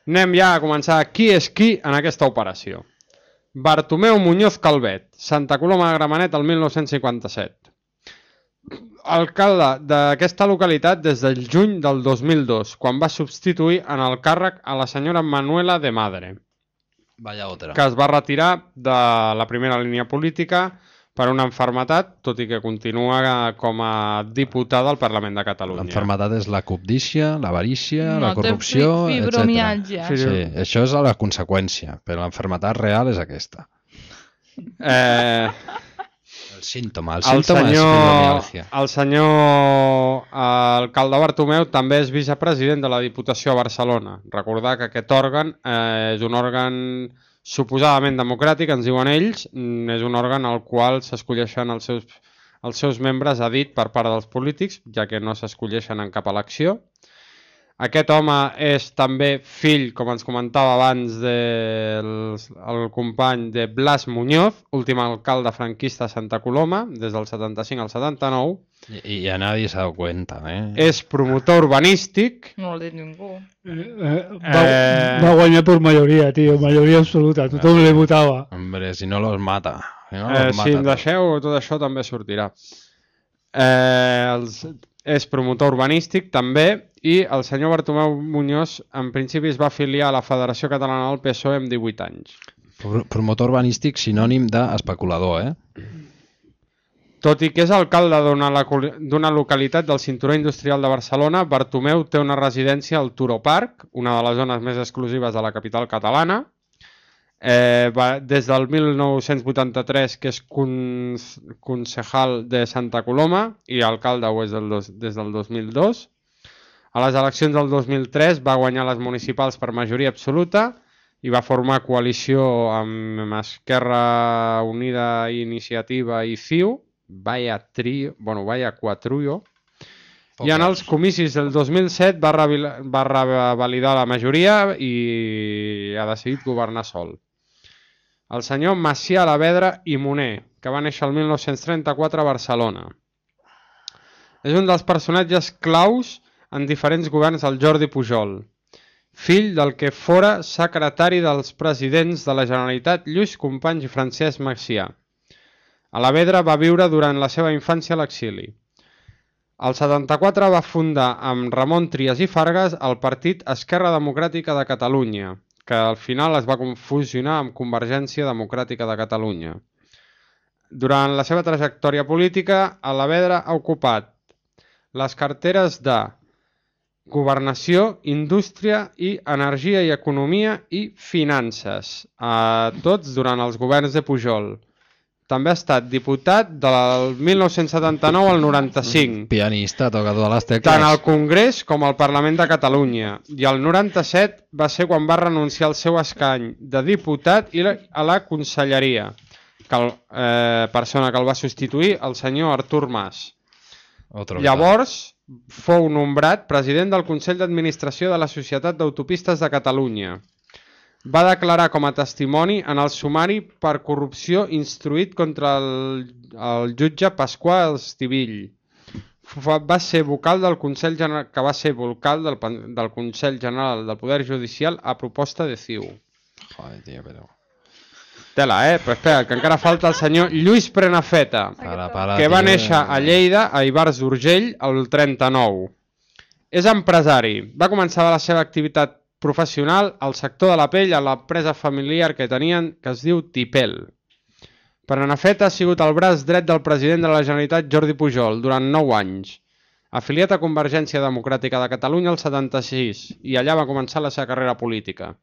anem ja a començar qui és qui en aquesta operació. Bartomeu Muñoz Calvet, Santa Coloma de Gramenet, el mil nou-cents cinquanta-set. Alcalde d'aquesta localitat des del juny del dos mil dos, quan va substituir en el càrrec a la senyora Manuela de Madre, Vaya otra. que es va retirar de la primera línia política per una enfermetat, tot i que continua com a diputada al Parlament de Catalunya. L'enfermetat és la cobdícia, l'avarícia, No, la té corrupció, fi- etcètera. fibromialgia. Sí, això és la conseqüència, però l'enfermetat real és aquesta. Eh... El símptoma, el El símptoma és senyor, fibromialgia. el senyor alcalde Bartomeu també és vicepresident de la Diputació a Barcelona. Recordar que aquest òrgan eh, és un òrgan suposadament democràtic, ens diuen ells, mm, és un òrgan al qual s'escolleixen els seus, els seus membres a dit per part dels polítics, ja que no s'escolleixen en cap elecció. Aquest home és també fill, com ens comentava abans, del el company de Blas Muñoz, últim alcalde franquista de Santa Coloma, des del setanta-cinc al setanta-nou. I, i a nadie s'ha dado cuenta, eh? És promotor urbanístic. No ho ha dit ningú. Eh, eh, va, eh... va guanyar per majoria, tio, majoria absoluta. Tothom li votava. Hombre, si no los mata. Si, no eh, los mata si em deixeu, tot això també sortirà. Eh, els, és promotor urbanístic també, i el senyor Bartomeu Muñoz en principi es va afiliar a la Federació Catalana del P S O E amb divuit anys. Promotor urbanístic sinònim d'especulador, eh? Tot i que és alcalde d'una localitat del cinturó industrial de Barcelona, Bartomeu té una residència al Turó Park, una de les zones més exclusives de la capital catalana. Eh, va, des del mil nou-cents vuitanta-tres, que és concejal de Santa Coloma, i alcalde ho és del dos, des del dos mil dos. A les eleccions del dos mil tres va guanyar les municipals per majoria absoluta i va formar coalició amb Esquerra Unida, Iniciativa i C I U. Vaya trio, bueno, vaya quatruio. I en els comicis del dos mil set va, va revalidar la majoria i ha decidit governar sol. El senyor Macià Alavedra i Moner, que va néixer el mil nou-cents trenta-quatre a Barcelona. És un dels personatges claus en diferents governs del Jordi Pujol, fill del que fora secretari dels presidents de la Generalitat Lluís Companys i Francesc Macià. Alavedra va viure durant la seva infància a l'exili. Al setanta-quatre va fundar amb Ramon Trias i Fargas el partit Esquerra Democràtica de Catalunya, que al final es va fusionar amb Convergència Democràtica de Catalunya. Durant la seva trajectòria política, Alavedra ha ocupat les carteres de Governació, Indústria i Energia i Economia i Finances, a tots durant els governs de Pujol. També ha estat diputat del mil nou-cents setanta-nou al noranta-cinc. Pianista, toca totes les tecles. Tant al Congrés com al Parlament de Catalunya. I al noranta-set va ser quan va renunciar al seu escany de diputat i a la conselleria, que el, eh, persona que el va substituir, el senyor Artur Mas. Llavors fou nombrat president del Consell d'Administració de la Societat d'Autopistes de Catalunya. Va declarar com a testimoni en el sumari per corrupció instruït contra el, el jutge Pasqual Estivill. Va ser vocal del Consell General, que va ser vocal del, del Consell General del Poder Judicial a proposta de C I U. Joder, tio, però... Tela, eh? Però espera, que encara falta el senyor Lluís Prenafeta, para, para, que va tio, néixer a Lleida, a Ivars d'Urgell, el trenta-nou. És empresari. Va començar la seva activitat professional al sector de la pell a l'empresa familiar que tenien, que es diu Tipel. Prenafeta ha sigut el braç dret del president de la Generalitat Jordi Pujol durant nou anys, afiliat a Convergència Democràtica de Catalunya el setanta-sis, i allà va començar la seva carrera política.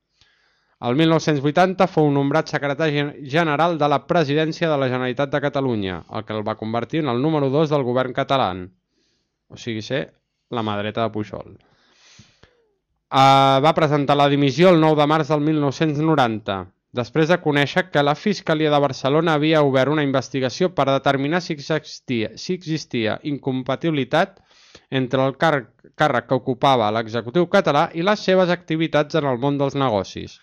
El mil nou-cents vuitanta fou nombrat secretari general de la presidència de la Generalitat de Catalunya, el que el va convertir en el número dos del govern català, o sigui ser la mà dreta de Pujol. Uh, va presentar la dimissió el nou de març del mil nou-cents noranta, després de conèixer que la Fiscalia de Barcelona havia obert una investigació per determinar si existia, si existia incompatibilitat entre el càrrec, càrrec que ocupava l'executiu català i les seves activitats en el món dels negocis,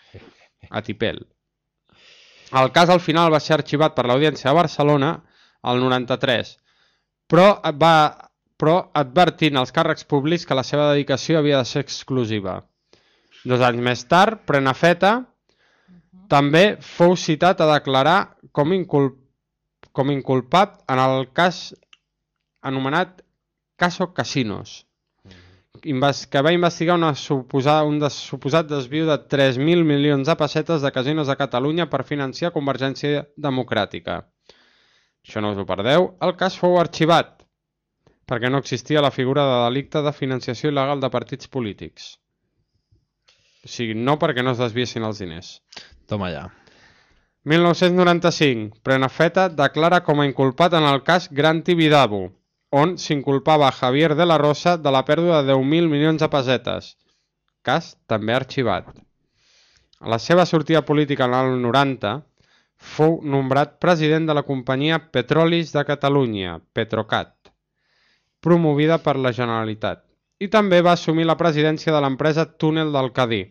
a Tipel. El cas al final va ser arxivat per l'Audiència de Barcelona el noranta-tres, però va... però advertint als càrrecs públics que la seva dedicació havia de ser exclusiva. Dos anys més tard, Prenafeta també fou citat a declarar com, inculp com inculpat en el cas anomenat Caso Casinos, que va investigar una suposada, un des suposat desviu de tres mil milions de pessetes de casinos de Catalunya per financiar Convergència Democràtica. Això no us ho perdeu. El cas fou arxivat perquè no existia la figura de delicte de financiació il·legal de partits polítics. O sigui, no perquè no es desviessin els diners. Toma ja. mil nou-cents noranta-cinc. Prenafeta declara com a inculpat en el cas Gran Tibidabo, on s'inculpava a Javier de la Rosa de la pèrdua de deu mil milions de pessetes. Cas també arxivat. A la seva sortida política en el noranta, fou nombrat president de la companyia Petrolis de Catalunya, Petrocat, promovida per la Generalitat, i també va assumir la presidència de l'empresa Túnel del Cadí.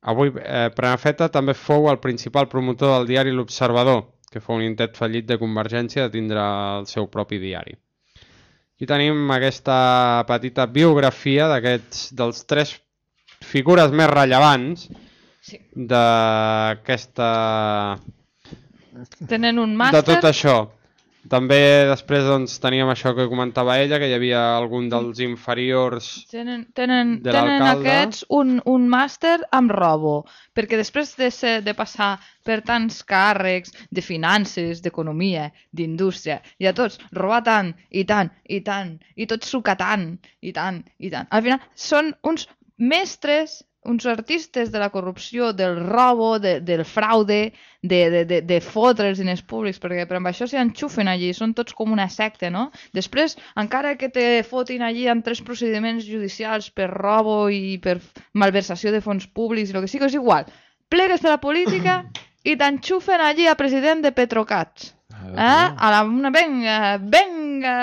Avui eh, Prenafeta també fou el principal promotor del diari L'Observador, que fou un intent fallit de Convergència de tindre el seu propi diari. Aquí tenim aquesta petita biografia d'aquests dels tres figures més rellevants sí. d'aquesta... Tenen un màster... De tot això. També després doncs, teníem això que comentava ella, que hi havia algun dels inferiors tenen, tenen, de l'alcalde. Tenen aquests un, un màster amb robo, perquè després de, ser, de passar per tants càrrecs de finances, d'economia, d'indústria, i a tots robar tant, i tant, i tant, i tots sucar tant, i tant, i tant. Al final són uns mestres, uns artistes de la corrupció, del robo, de, del fraude, de, de, de, de fotre els diners públics, perquè per amb això s'hi enxufen allí, són tots com una secta, no? Després, encara que te fotin allí amb tres procediments judicials per robo i per malversació de fons públics, el que sigui, és igual. Plegues de la política i t'enxufen allí a president de Petrocats. Eh? A la, una, venga, venga.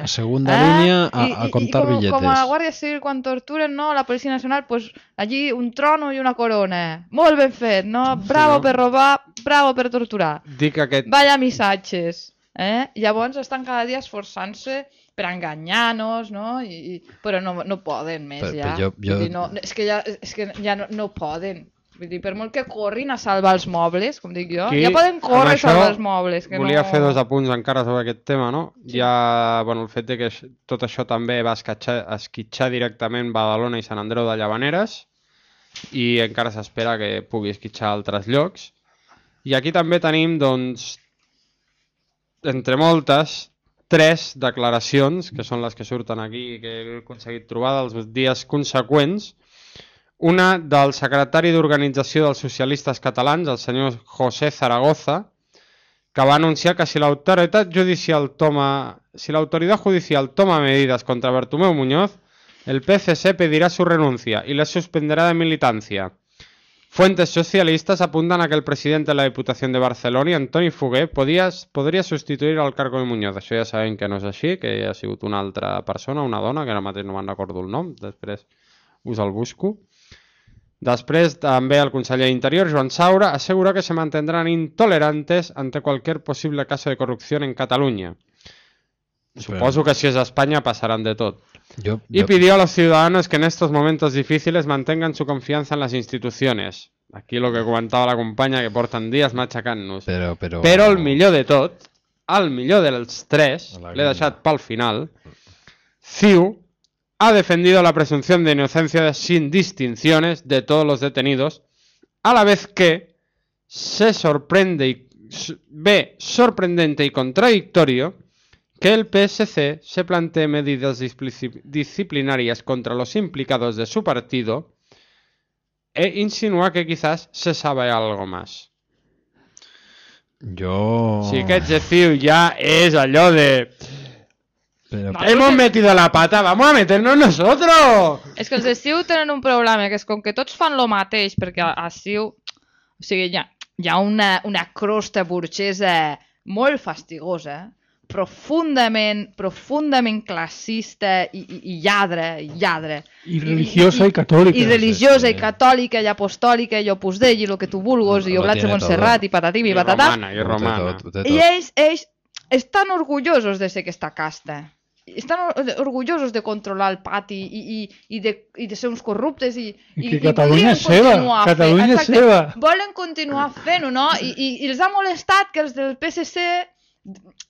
A segunda eh? línia a, I, a comptar i, i com, billetes. Com a la Guàrdia Civil quan torturen, no? La Policia Nacional, pues allí un trono i una corona. Molt ben fet, no? Bravo sí, no? Per robar, bravo per torturar. Dic aquest... Vaya missatges. Eh? Llavors estan cada dia esforçant-se per enganyar-nos, no? I, i, però no, no poden més però, ja. Però jo, jo... Dir, no, és que ja, és que ja no, no poden. Vull dir, per molt que corrin a salvar els mobles, com dic jo, Aquí, ja poden córrer a salvar els mobles. Que volia no... fer dos apunts encara sobre aquest tema, no? Sí. Ja, bueno, el fet de que tot això també va esquitxar, esquitxar directament Badalona i Sant Andreu de Llavaneres i encara s'espera que pugui esquitxar altres llocs. I aquí també tenim, doncs, entre moltes, tres declaracions, que són les que surten aquí i que he aconseguit trobar dels dies conseqüents. Una del secretari d'Organització dels Socialistes Catalans, el senyor José Zaragoza, que va anunciar que si l'autoritat judicial toma, si la autoridad judicial toma medidas contra Bartomeu Muñoz, el P C C pedirá su renuncia y le suspenderá de militancia. Fuentes socialistas apuntan a que el presidente de la Diputación de Barcelona, Antoni Fugué, podria, podria substituir el cargo de Muñoz. Això ja sabem que no és així, que ha sigut una altra persona, una dona, que ara mateix no me'n recordo el nom, després us el busco. Després, també el conseller d'Interior, Joan Saura, asegura que se mantendrán intolerantes ante cualquier posible caso de corrupción en Cataluña. Suposo que si es España pasarán de todo. Yo, y yo... pidió a los ciudadanos que en estos momentos difíciles mantengan su confianza en las instituciones. Aquí lo que comentava la companya, que porten dies matxacant-nos. Però, però... però el millor de tot, el millor dels tres, l'he deixat pel final, CiU ha defendido la presunción de inocencia sin distinciones de todos los detenidos, a la vez que se sorprende y ve sorprendente y contradictorio que el P S C se plantee medidas disciplinarias contra los implicados de su partido e insinúa que quizás se sabe algo más. Yo... Si aquest de CiU ja és allò de... Pero... Hemos metido la pata, vamos a meternos nosotros. És que els de CiU tenen un problema, que és com que tots fan lo mateix, perquè a, a CiU, o sigui, hi ha, hi ha una, una crosta burgesa molt fastigosa, profundament, profundament classista i, i, i lladre, lladre. I religiosa i, i, i catòlica. I religiosa sí, sí. i catòlica i apostòlica i opus Dei i el que tu vulguis, i oblats de Montserrat i patatim i, i patatà. I romana, i romana. Tot, tot, tot. I ells, ells estan orgullosos de ser aquesta casta. Estan orgullosos de controlar el pati i, i, i, de, i de ser uns corruptes i, i que i, Catalunya és seva, Catalunya és seva. Volen continuar fent-ho, no? I, i, i els ha molestat que els del P S C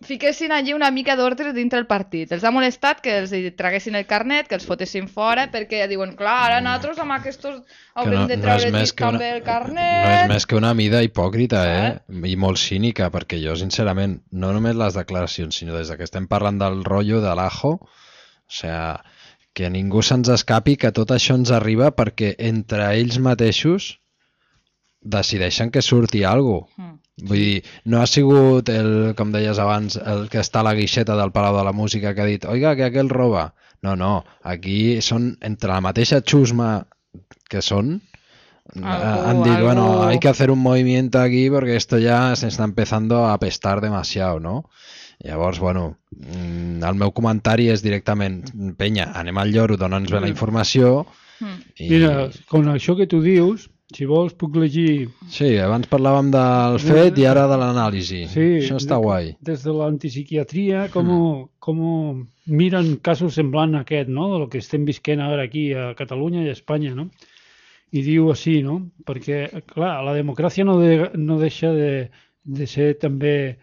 fiquessin allí una mica d'ordre dintre el partit. Els ha molestat que els traguessin el carnet, que els fotessin fora, perquè diuen, clar, ara nosaltres amb aquests haurem no, de treure no també una, el carnet. No és més que una mida hipòcrita, eh? I molt cínica, perquè jo, sincerament, no només les declaracions, sinó des que estem parlant del rotllo de l'Ajo, o sea, que ningú se'ns escapi que tot això ens arriba perquè entre ells mateixos decideixen que surti alguna cosa. Mm. Vull dir, no ha sigut, el, com deies abans, el que està a la guixeta del Palau de la Música que ha dit, oiga, que aquell roba. No, no, aquí són, entre la mateixa xusma que són, algo, han dit, algo... bueno, hay que hacer un movimiento aquí porque esto ya se está empezando a apestar demasiado, ¿no? Llavors, bueno, el meu comentari és directament, penya, anem al lloro, dona'ns bé la informació. Mm. I... Mira, con això que tu dius, si vols puc llegir... Sí, abans parlàvem del fet i ara de l'anàlisi. Sí, això està de, guai. Des de l'antipsiquiatria, com, mm. com miren casos semblant a aquest, no? De lo que estem visquent ara aquí a Catalunya i a Espanya, no? I diu així, no? Perquè, clar, la democràcia no, de, no deixa de, de ser també...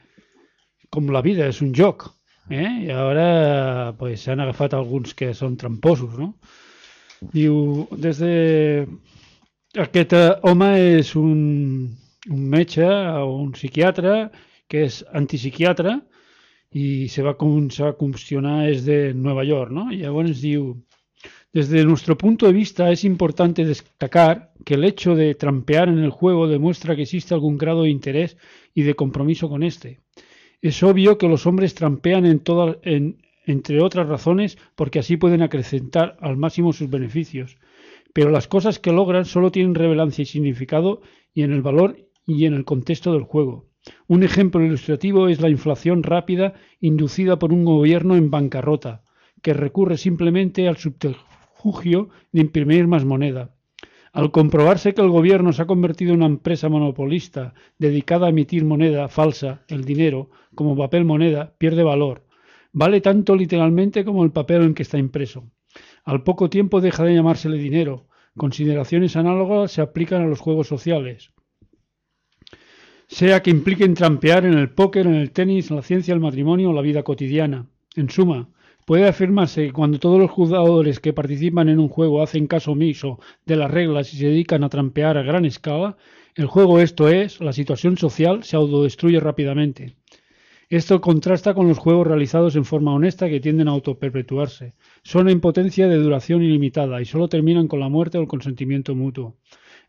com la vida, és un joc, eh? I ara pues, s'han agafat alguns que són tramposos, no? Diu, des de... Aquest home és un, un metge o un psiquiatre que és antipsiquiatre i se va començar a qüestionar és de Nueva York, ¿no? Y llavors diu, desde nuestro punto de vista es importante destacar que el hecho de trampear en el juego demuestra que existe algún grado de interés y de compromiso con este. Es obvio que los hombres trampean en todas, en, entre otras razones porque así pueden acrecentar al máximo sus beneficios. Pero las cosas que logran solo tienen relevancia y significado y en el valor y en el contexto del juego. Un ejemplo ilustrativo es la inflación rápida inducida por un gobierno en bancarrota, que recurre simplemente al subterfugio de imprimir más moneda. Al comprobarse que el gobierno se ha convertido en una empresa monopolista dedicada a emitir moneda falsa, el dinero, como papel moneda, pierde valor. Vale tanto literalmente como el papel en que está impreso. Al poco tiempo deja de llamársele dinero. Consideraciones análogas se aplican a los juegos sociales. Sea que impliquen trampear en el póker, en el tenis, en la ciencia, el matrimonio o la vida cotidiana. En suma, puede afirmarse que cuando todos los jugadores que participan en un juego hacen caso omiso de las reglas y se dedican a trampear a gran escala, el juego, esto es, la situación social, se autodestruye rápidamente. Esto contrasta con los juegos realizados en forma honesta que tienden a autoperpetuarse. Son en potencia de duración ilimitada y solo terminan con la muerte o el consentimiento mutuo.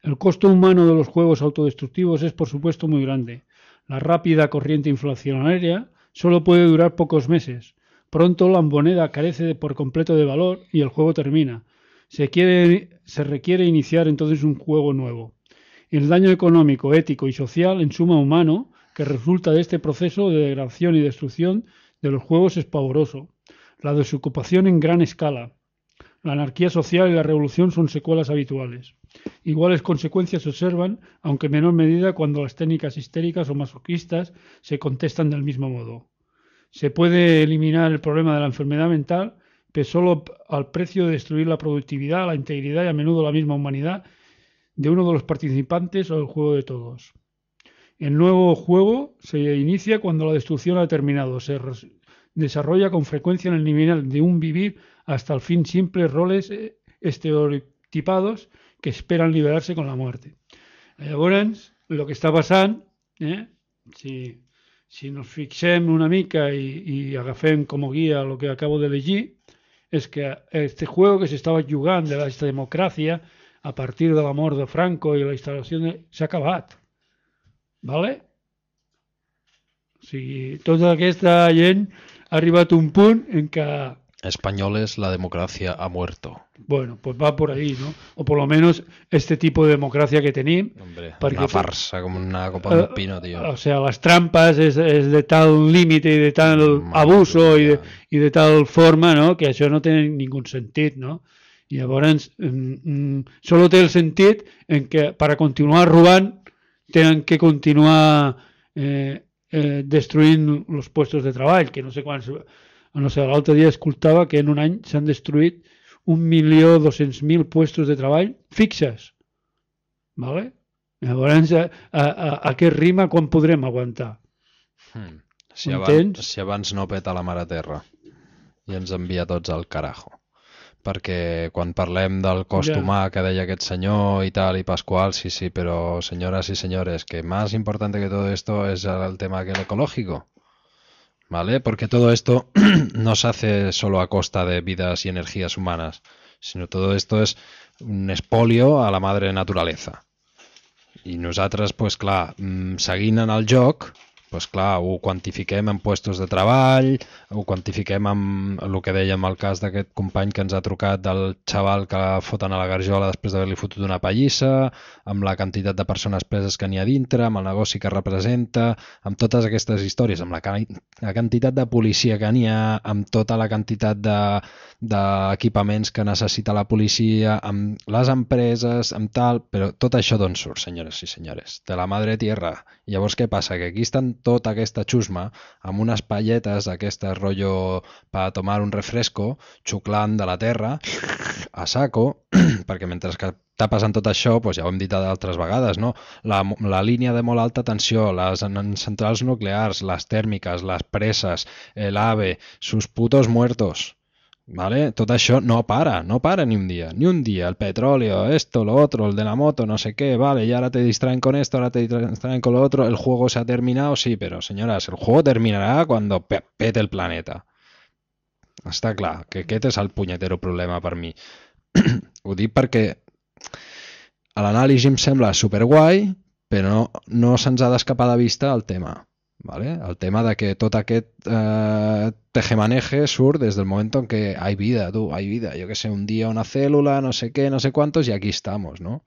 El costo humano de los juegos autodestructivos es, por supuesto, muy grande. La rápida corriente inflacionaria solo puede durar pocos meses. Pronto la moneda carece de, por completo de valor y el juego termina. Se, quiere, se requiere iniciar entonces un juego nuevo. El daño económico, ético y social, en suma humano, que resulta de este proceso de degradación y destrucción de los juegos es pavoroso. La desocupación en gran escala, la anarquía social y la revolución son secuelas habituales. Iguales consecuencias se observan, aunque en menor medida, cuando las técnicas histéricas o masoquistas se contestan del mismo modo. Se puede eliminar el problema de la enfermedad mental, pero solo al precio de destruir la productividad, la integridad y a menudo la misma humanidad de uno de los participantes o del juego de todos. El nuevo juego se inicia cuando la destrucción ha terminado. Se desarrolla con frecuencia en el nivel de un vivir hasta el fin simples roles estereotipados que esperan liberarse con la muerte. Llavors, el que està passant, eh, si, si nos fixem una mica i, i agafem com a guia el que acabo de llegir, és que este juego que se estava jugant de la democràcia a partir de la mort de Franco i la instal·lació de... s'ha acabat. ¿Vale? O sigui, tota aquesta gent ha arribat a un punt en que... Españoles, la democracia ha muerto. Bueno, pues va por ahí, ¿no? O por lo menos este tipo de democracia que tenim. Hombre, una farsa, como una copa de un pino, tío. O sea, las trampas es, es de tal límite y de tal Madre abuso y de, y de tal forma, ¿no? Que això no té ningú sentit, no? I llavors, mm, solo té el sentit en que para continuar robant tenen que continuar eh, eh, destruint els puestos de treball, que no sé quants... No sé, l'altre dia escoltava que en un any s'han destruït un milió dos-cents mil puestos de treball fixes. ¿Vale? Llavors, a, a, a què rima quan podrem aguantar? Hmm. Si, abans, si abans no peta la mare terra i ens envia tots al carajo. Perquè quan parlem del cost ja. humà que deia aquest senyor i tal, i Pascual, sí, sí, però señoras y señores, que más importante que todo esto es el tema que el ecológico, ¿vale? Porque todo esto no se hace solo a costa de vidas y energías humanas, sino todo esto es un espolio a la madre naturaleza. I nosaltres, pues clar, seguint en el joc, pues clar, ho quantifiquem en puestos de treball, ho quantifiquem amb el que dèiem el cas d'aquest company que ens ha trucat del xaval que foten a la garjola després d'haver-li fotut una pallissa, amb la quantitat de persones preses que n'hi ha dintre, amb el negoci que representa, amb totes aquestes històries, amb la, la quantitat de policia que n'hi ha, amb tota la quantitat d'equipaments de, que necessita la policia, amb les empreses, amb tal, però tot això d'on surt, senyores i senyores? De la madre tierra. I llavors què passa? Que aquí estan tota aquesta xusma amb unes palletes d'aquestes rotllo per tomar un refresco, xuclant de la terra a saco, perquè mentre que està passant tot això, doncs ja ho hem dit d'altres vegades, no? La, la línia de molt alta tensió, les centrals nuclears, les tèrmiques, les presses, el AVE, sus putos muertos. ¿Vale? Todo eso no para, no para ni un día, ni un día. El petróleo, esto, lo otro, el de la moto, no sé qué, vale, y ahora te distraen con esto, ahora te distraen con lo otro, el juego se ha terminado, sí, pero señoras, el juego terminará cuando pe pete el planeta. Està clar, que aquest és el punyetero problema per mi. Ho dic perquè l'anàlisi em sembla superguai, però no, no se'ns ha d'escapar de vista el tema. ¿Vale? El tema de que tot aquest eh, tejemaneje surt des del moment en què hay vida, tú, hay vida, yo que sé, un día una célula, no sé qué, no sé cuántos, y aquí estamos, ¿no?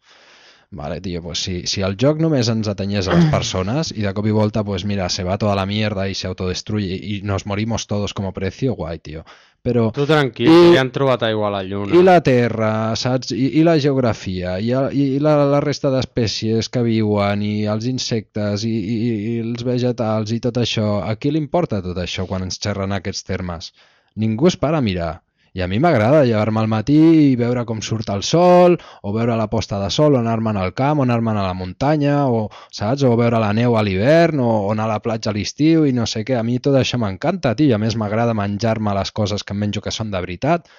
Vale, tío, pues si, si el joc només ens atenyés a les persones i de cop i volta, pues mira, se va toda la mierda y se autodestruye y nos morimos todos como precio, guai, tío. Però, tu tranquil, i, que ja han trobat aigua a la lluna. I la terra, saps? I, i la geografia, i, i la, la resta d'espècies que viuen, i els insectes, i, i, i els vegetals, i tot això. A qui li importa tot això quan ens xerren aquests termes? Ningú es para a mirar. I a mi m'agrada llevar-me al matí i veure com surt el sol, o veure la posta de sol, o anar-me'n al camp, o anar-me'n a la muntanya, o, saps? O veure la neu a l'hivern, o, o anar a la platja a l'estiu, i no sé què. A mi tot això m'encanta, tio. A més, m'agrada menjar-me les coses que em menjo que són de veritat.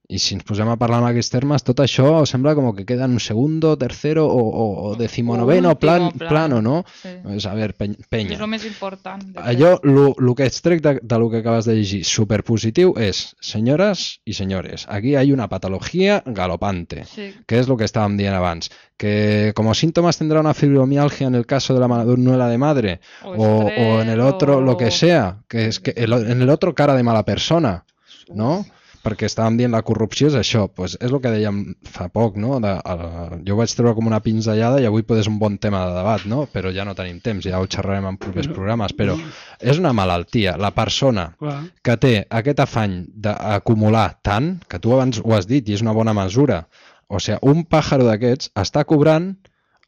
I si ens posem a parlar en aquests termes, tot això sembla com que queda en un segundo, tercero o, o, o decimonoveno plan, plan, plano, ¿no? Sí. Pues a ver, pe penya. És el més important. Allò, el que extrec de, de lo que acabes de llegir, superpositiu, és, senyores i senyores, aquí hay una patología galopante, sí. Que es lo que estábamos dient abans, que como síntomas tendrá una fibromialgia en el caso de la manuela de madre, o, o, o en el otro, o... lo que sea, que es que el, en el otro cara de mala persona, ¿no? Perquè estàvem dient la corrupció és això, pues és el que dèiem fa poc, no? De, uh, jo ho vaig treure com una pinzellada i avui pot ser un bon tema de debat, no? Però ja no tenim temps, ja ho xerrarem en propers programes, però és una malaltia. La persona que té aquest afany d'acumular tant, que tu abans ho has dit i és una bona mesura, o sigui, un pàjaro d'aquests està cobrant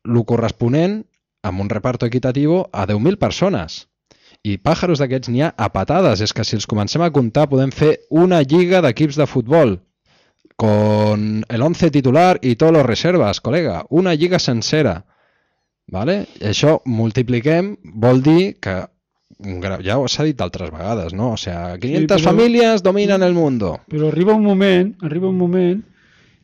el corresponent amb un reparto equitativo a deu mil persones. I pàjaros d'aquests n'hi ha a patades. És que si els comencem a comptar podem fer una lliga d'equips de futbol con el once titular i tots los reservas, col·lega. Una lliga sencera. ¿Vale? I això multipliquem vol dir que, ja s'ha dit altres vegades, no? O sea, quinientas sí, però, famílies dominen el mundo. Però arriba un moment, arriba un moment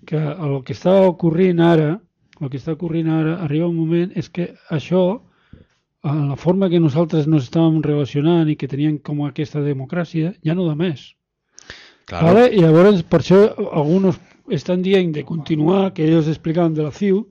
que el que està ocorrint ara, el que està ocorrint ara, arriba un moment és que això, en la forma que nosaltres nos estàvem relacionant i que teníem com aquesta democràcia, ja no da més. Claro. ¿Vale? I llavors, per això, alguns estan dient de continuar, que ells explicaven de la C I U,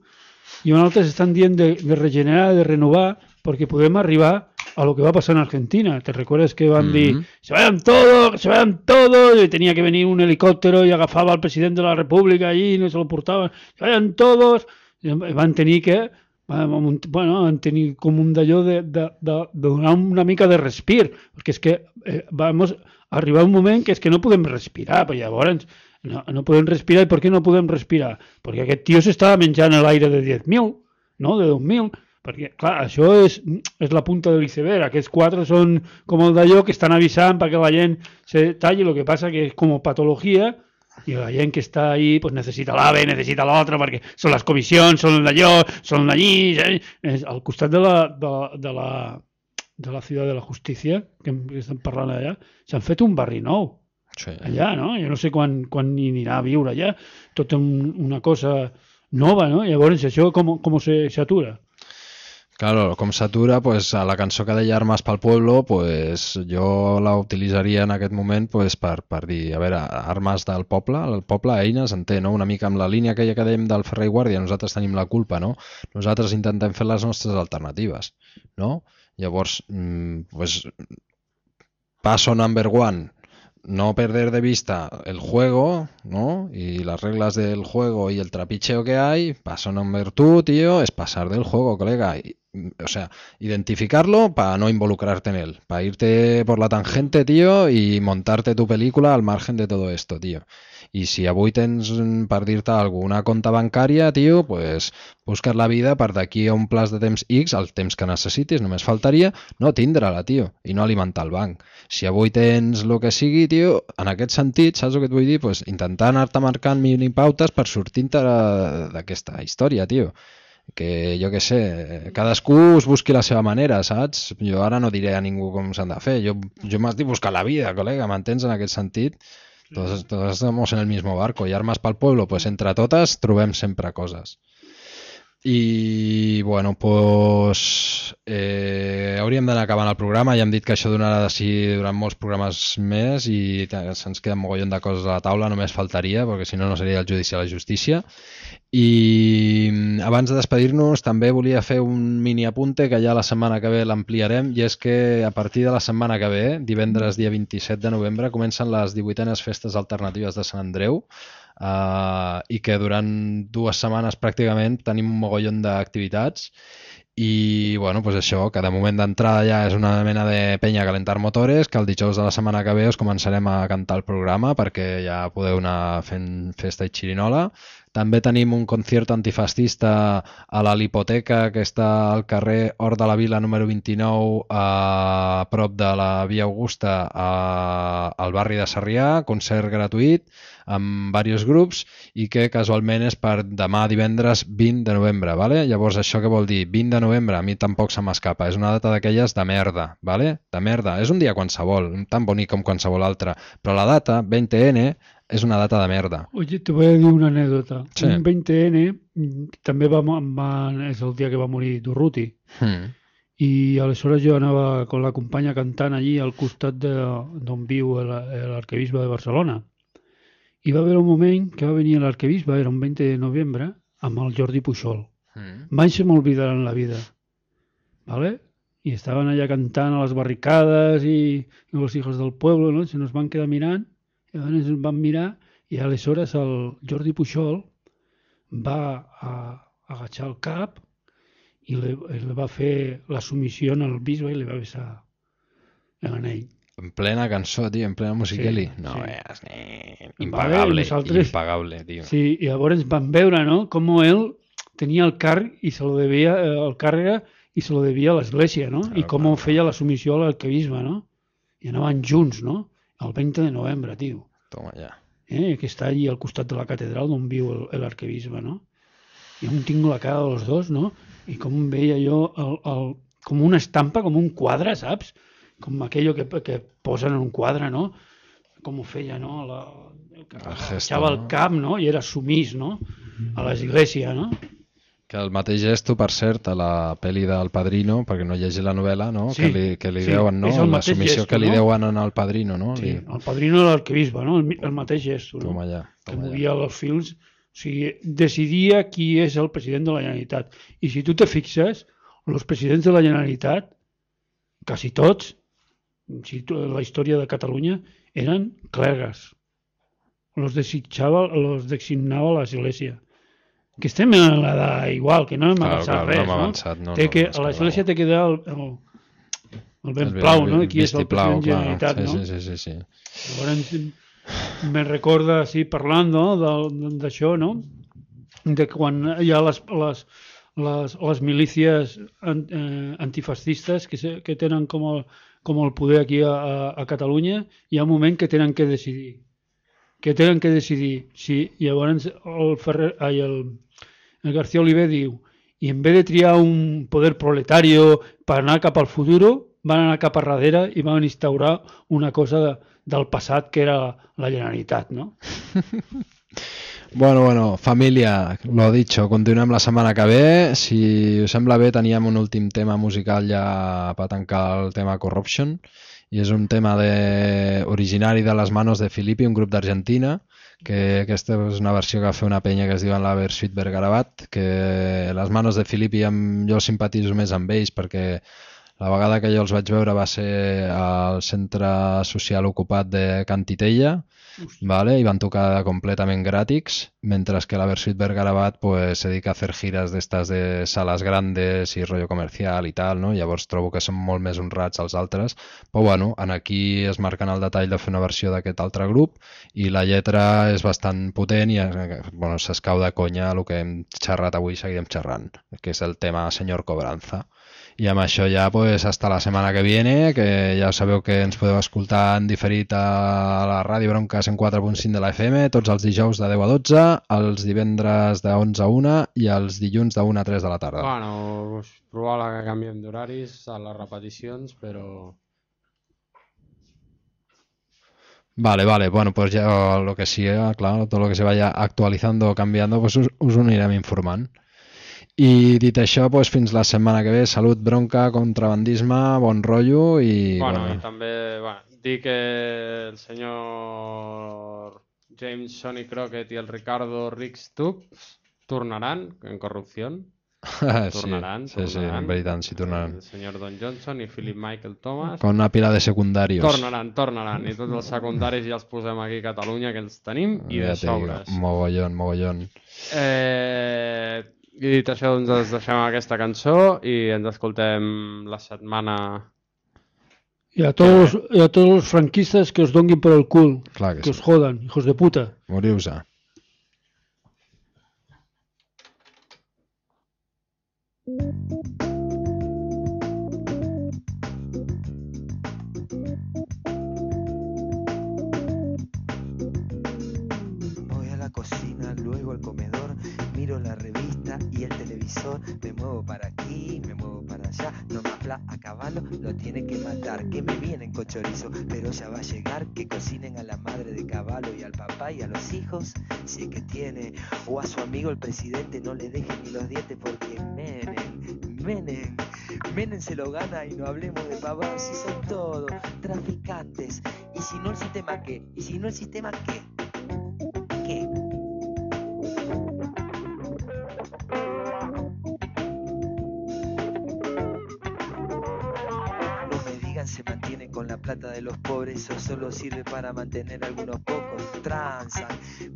i altres estan dient de, de regenerar, de renovar, perquè podem arribar a lo que va passar en Argentina. ¿Te recuerdas que van mm-hmm. dir, se vayan todos, se vayan todos, y tenía que venir un helicòptero i agafava al president de la república allí i no se lo portaven, se vayan todos, i van tenir que bueno, van tenir com un d'allò de, de, de, de donar una mica de respir, perquè és que eh, vamos a arribar un moment que és que no podem respirar, però llavors no, no podem respirar. I per què no podem respirar? Perquè aquest tio s'estava menjant l'aire de deu mil, no? De deu mil, perquè clar, això és, és la punta de l'iceberg. Aquests quatre són com el d'allò que estan avisant perquè la gent se talli, el que passa que és com patologia. I la gent que està ahí pues necessita l'AVE, necessita l'altre, perquè són les comissions, són d'allò, són d'allí. Eh? Al costat de la, de, de, la, de la ciutat de la justícia, que estem parlant allà, s'han fet un barri nou. Sí. Allà, no? Jo no sé quan, quan hi anirà a viure allà. Tot un, una cosa nova, no? Llavors, això com, com s'atura? Claro, com s'atura, pues, a la cançó que deia Armes pel Pueblo, pues, jo la utilitzaria en aquest moment pues, per, per dir, a veure, armes del poble, el poble, eines, en té, no? Una mica amb la línia aquella que dèiem del Ferrer i Guàrdia, nosaltres tenim la culpa, no? Nosaltres intentem fer les nostres alternatives, no? Llavors, pues, paso number one, no perder de vista el juego, ¿no? Y las reglas del juego y el trapicheo que hay. Paso number two, tío, es pasar del juego, colega. Y, o sea, identificarlo para no involucrarte en él, para irte por la tangente, tío, y montarte tu película al margen de todo esto, tío. I si avui tens, per dir-te alguna compte bancària, tio, pues, busques la vida per d'aquí a un plaç de temps X, el temps que necessitis, només faltaria no tindre-la, tio, i no alimentar el banc. Si avui tens el que sigui, tio, en aquest sentit, saps el que et vull dir? Pues, intentar anar-te marcant minipautes per sortir-te d'aquesta història, tio. Que jo què sé, cadascú es busqui la seva manera, saps? Jo ara no diré a ningú com s'han de fer, jo, jo m'estic buscant la vida, col·lega, m'entens en aquest sentit? Todos, todos estamos en el mismo barco y armas para el pueblo, pues entre totes trobem sempre coses. I, bueno, pues eh, hauríem d'anar acabant el programa. Ja hem dit que això donarà de si durant molts programes més i se'ns queda un mogollon de coses a la taula, només faltaria, perquè si no no seria el judici a la justícia. I abans de despedir-nos també volia fer un mini apunte que ja la setmana que ve l'ampliarem, i és que a partir de la setmana que ve, divendres dia vint-i-set de novembre, comencen les divuitenes festes alternatives de Sant Andreu, uh, i que durant dues setmanes pràcticament tenim un mogollon d'activitats. I, bueno, pues això, que de moment d'entrada ja és una mena de penya a calentar motores, que el dijous de la setmana que ve us començarem a cantar el programa perquè ja podeu anar fent festa i xirinola. També tenim un concierto antifascista a la Lipoteca, que està al carrer Hort de la Vila número vint-i-nou, a prop de la Via Augusta, a, al barri de Sarrià, concert gratuït amb diversos grups, i que casualment és per demà divendres vint de novembre, ¿vale? Llavors això què vol dir? vint de novembre, a mi tampoc se m'escapa, és una data d'aquelles de merda, ¿vale? De merda, és un dia qualsevol, tan bonic com qualsevol altre, però la data, veinte ene, és una data de merda. Oye, te voy a dir una anécdota. Sí. Un veinte ene també va, va, és el dia que va morir Durruti. Hmm. I aleshores jo anava con la companya cantant allí al costat d'on viu l'arquebisbe de Barcelona. I va haver un moment que va venir l'arquebisbe, era un veinte de novembre, amb el Jordi Pujol. Mm. Mai se m'olvidarà en la vida. ¿Vale? I estaven allà cantant a les barricades i, i els hijos del pueblo, ¿no? Se nos van quedar mirant, i llavors ens van mirar, i aleshores el Jordi Pujol va a, a agachar el cap i li, li va fer la submissió al bisbe i li va besar l'anell. En plena cançó, tio, en plena musiqueli. Sí, no sí. veas, eh, impagable, nosaltres... impagable, tio. Sí, i llavors van veure, ¿no?, com ell tenia el càrrec i se lo devia, el càrrec i se lo devia a l'església, no? Claro, I com claro. feia la submissió a l'arquebisbe, no? I anaven junts, no? El veinte de novembre, tio. Toma ja. Eh, que està allí al costat de la catedral on viu l'arquebisbe, no? I on tinc la cara dels dos, no? I com veia jo el, el, com una estampa, com un quadre, saps? Com aquello que, que posen en un quadre, no? Com ho feia, no? La, que agachava el cap, no? I era sumís, no? A l'església, no? Que el mateix gesto, per cert, a la pel·li del Padrino, perquè no llegeix la novel·la, no? Sí, que li, que li sí, deuen, no? La submissió gesto, que li no? deuen al Padrino, no? Sí, li... el Padrino de l'arquebisbe, no? El, el mateix gesto, no? Toma ja, que toma movia ja. els fils, o sigui, decidia qui és el president de la Generalitat. I si tu te fixes, els presidents de la Generalitat, quasi tots, si tu, la història de Catalunya, eren clergues. Los desitjava, los designava l'església. Que estem en l'edat igual, que no hem claro, avançat claro, res, no? no? Avançat, no, Té no, que, no, a l'església té que dar el, el, el ben el plau, no? el Qui és el president de la Generalitat, sí, no? Sí, sí, sí, sí. Llavors, me recorda, així, parlant, no?, d'això, no?, de quan hi ha les, les, les, les milícies antifascistes que, se, que tenen com el, com el poder aquí a, a, a Catalunya, hi ha un moment que tenen que decidir. Que tenen que decidir. Sí, llavors el, Ferrer, ai, el, el García Oliver diu, i en vez de triar un poder proletario per anar cap al futur, van anar cap a darrere i van instaurar una cosa de, del passat que era la Generalitat, no? Bueno, bueno, família, lo dicho, continuem la setmana que ve. Si us sembla bé, teníem un últim tema musical ja per tancar el tema Corruption, i és un tema de, originari de Les Manos de Filippi, un grup d'Argentina, que aquesta és una versió que va fer una penya que es diuen la Versuit Bergarabat, que Les Manos de Filippi jo simpatitzo més amb ells perquè La vegada que jo els vaig veure va ser al centre social ocupat de Can Titella, vale? I van tocar completament gratis, mentre que la Versuit Vergarabat pues, se dedica a fer gires d'estas de sales grandes i rotllo comercial i tal, no? Llavors trobo que són molt més honrats els altres, però bueno, en aquí es marquen el detall de fer una versió d'aquest altre grup i la lletra és bastant potent i bueno, s'escau de conya el que hem xerrat avui i seguirem xerrant, que és el tema Senyor Cobranza. I amb això ja pues, hasta la setmana que viene, que ja sabeu que ens podeu escoltar en diferit a la Ràdio Bronca cent quatre punt cinc de la F M tots els dijous de deu a dotze, els divendres de onze a una i els dilluns de una a tres de la tarda. Bueno, és probable que canviem d'horaris a les repeticions, però... Vale, vale, bueno, pues ya lo que siga, claro, todo lo que se vaya actualizando o cambiando, pues us, us ho anirem informant. I dit això, doncs, fins la setmana que ve, salut, bronca, contrabandisme, bon rotllo i... Bueno, bueno. I també bueno, dir que el senyor James Sonny Crockett i el Ricardo Rix-Tubbs tornaran en Corrupció. Tornaran, sí, tornaran. Sí, sí, en veritat, sí tornaran. El senyor Don Johnson i Philip Michael Thomas. Con una pila de secundarios. Tornaran, tornaran. I tots els secundaris ja els posem aquí a Catalunya, que els tenim, i ja de sobres. Mogollon, mogollon. Eh... I dit això, doncs ens deixem aquesta cançó i ens escoltem la setmana... Y a todos, y a todos los franquistas que os donguin por el cul, Clar que, que sí. os jodan, hijos de puta. Moriu-se. Voy a la cocina, luego al comedor, miro la revista y el televisor, me muevo para aquí, me muevo para allá, no me habla a caballo, lo tiene que matar, que me vienen con chorizo, pero ya va a llegar, que cocinen a la madre de caballo y al papá y a los hijos, si es que tiene, o a su amigo el presidente, no le dejen ni los dientes porque Menem, Menem, Menem se lo gana y no hablemos de pavados, si son todos traficantes, y si no el sistema qué, y si no el sistema qué, qué. Se mantiene con la plata de los pobres o solo sirve para mantener a algunos pocos, transan,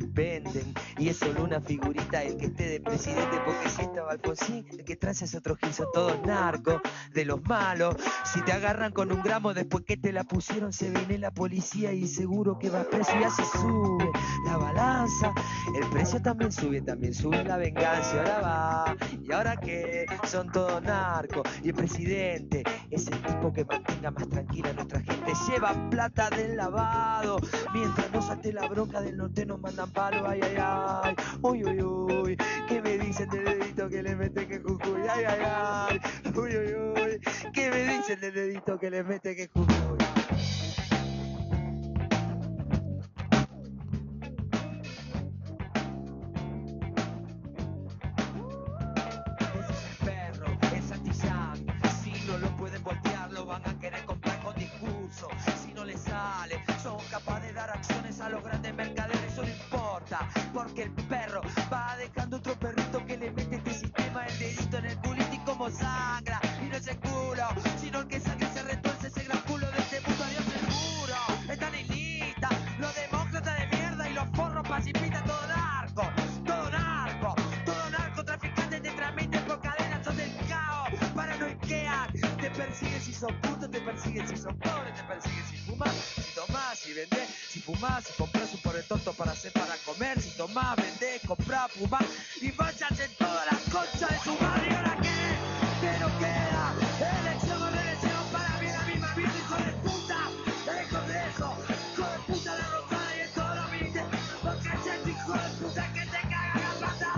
venden y es solo una figurita el que esté de presidente porque si estaba Alfonsín, el que transa es otro gil, son todos narcos, de los malos, si te agarran con un gramo después que te la pusieron se viene la policía y seguro que vas preso y así sube la balanza, el precio también sube, también sube la venganza y ahora va, y ahora que son todos narcos y el presidente es el tipo que mantenga más tranquila nuestra gente, lleva plata del lavado, mientras no salte la bronca del norte nos mandan palo, ay ay ay, uy uy uy, ¿qué me dicen del dedito que le mete que Jujuy? Ay ay ay, uy uy uy, ¿qué me dicen del dedito que le mete que Jujuy? A los grandes mercaderes eso no importa, porque el perro va dejando otro perrito que le mete este sistema el dedito en el culito y como sangra, y no es el culo, sino el que sangre se retuerce ese gran culo de este mundo, Dios seguro, están en lista, los demócratas de mierda y los forros pacifistas, todo narco, todo narco, todo narco, traficantes te transmiten por cadenas, son del caos, paranoiquean, te persiguen si son putos, te persiguen si son pobres, te persiguen si fumas, si tomás, si vendés, si fumás, si compras un pobre tonto para hacer para comer, si tomás, vendés, comprás, fumás y vayas en toda la concha de su madre. ¿Y ahora qué? ¿Qué no queda? Elección o reelección para mí la misma vida, hijo de puta. El Congreso, hijo de puta la rosada y en todos los ministerios, porque es este hijo de puta que te caga la pata.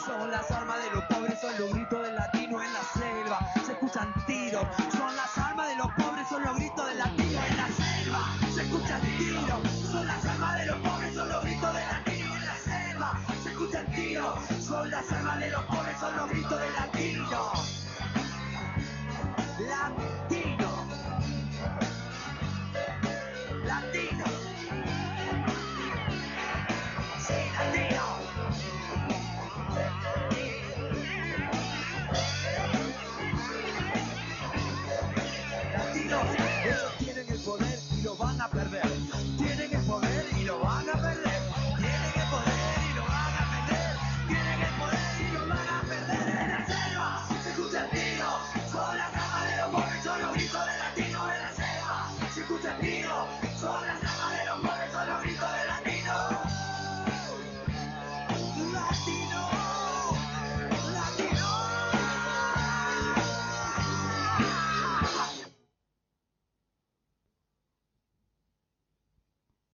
Son las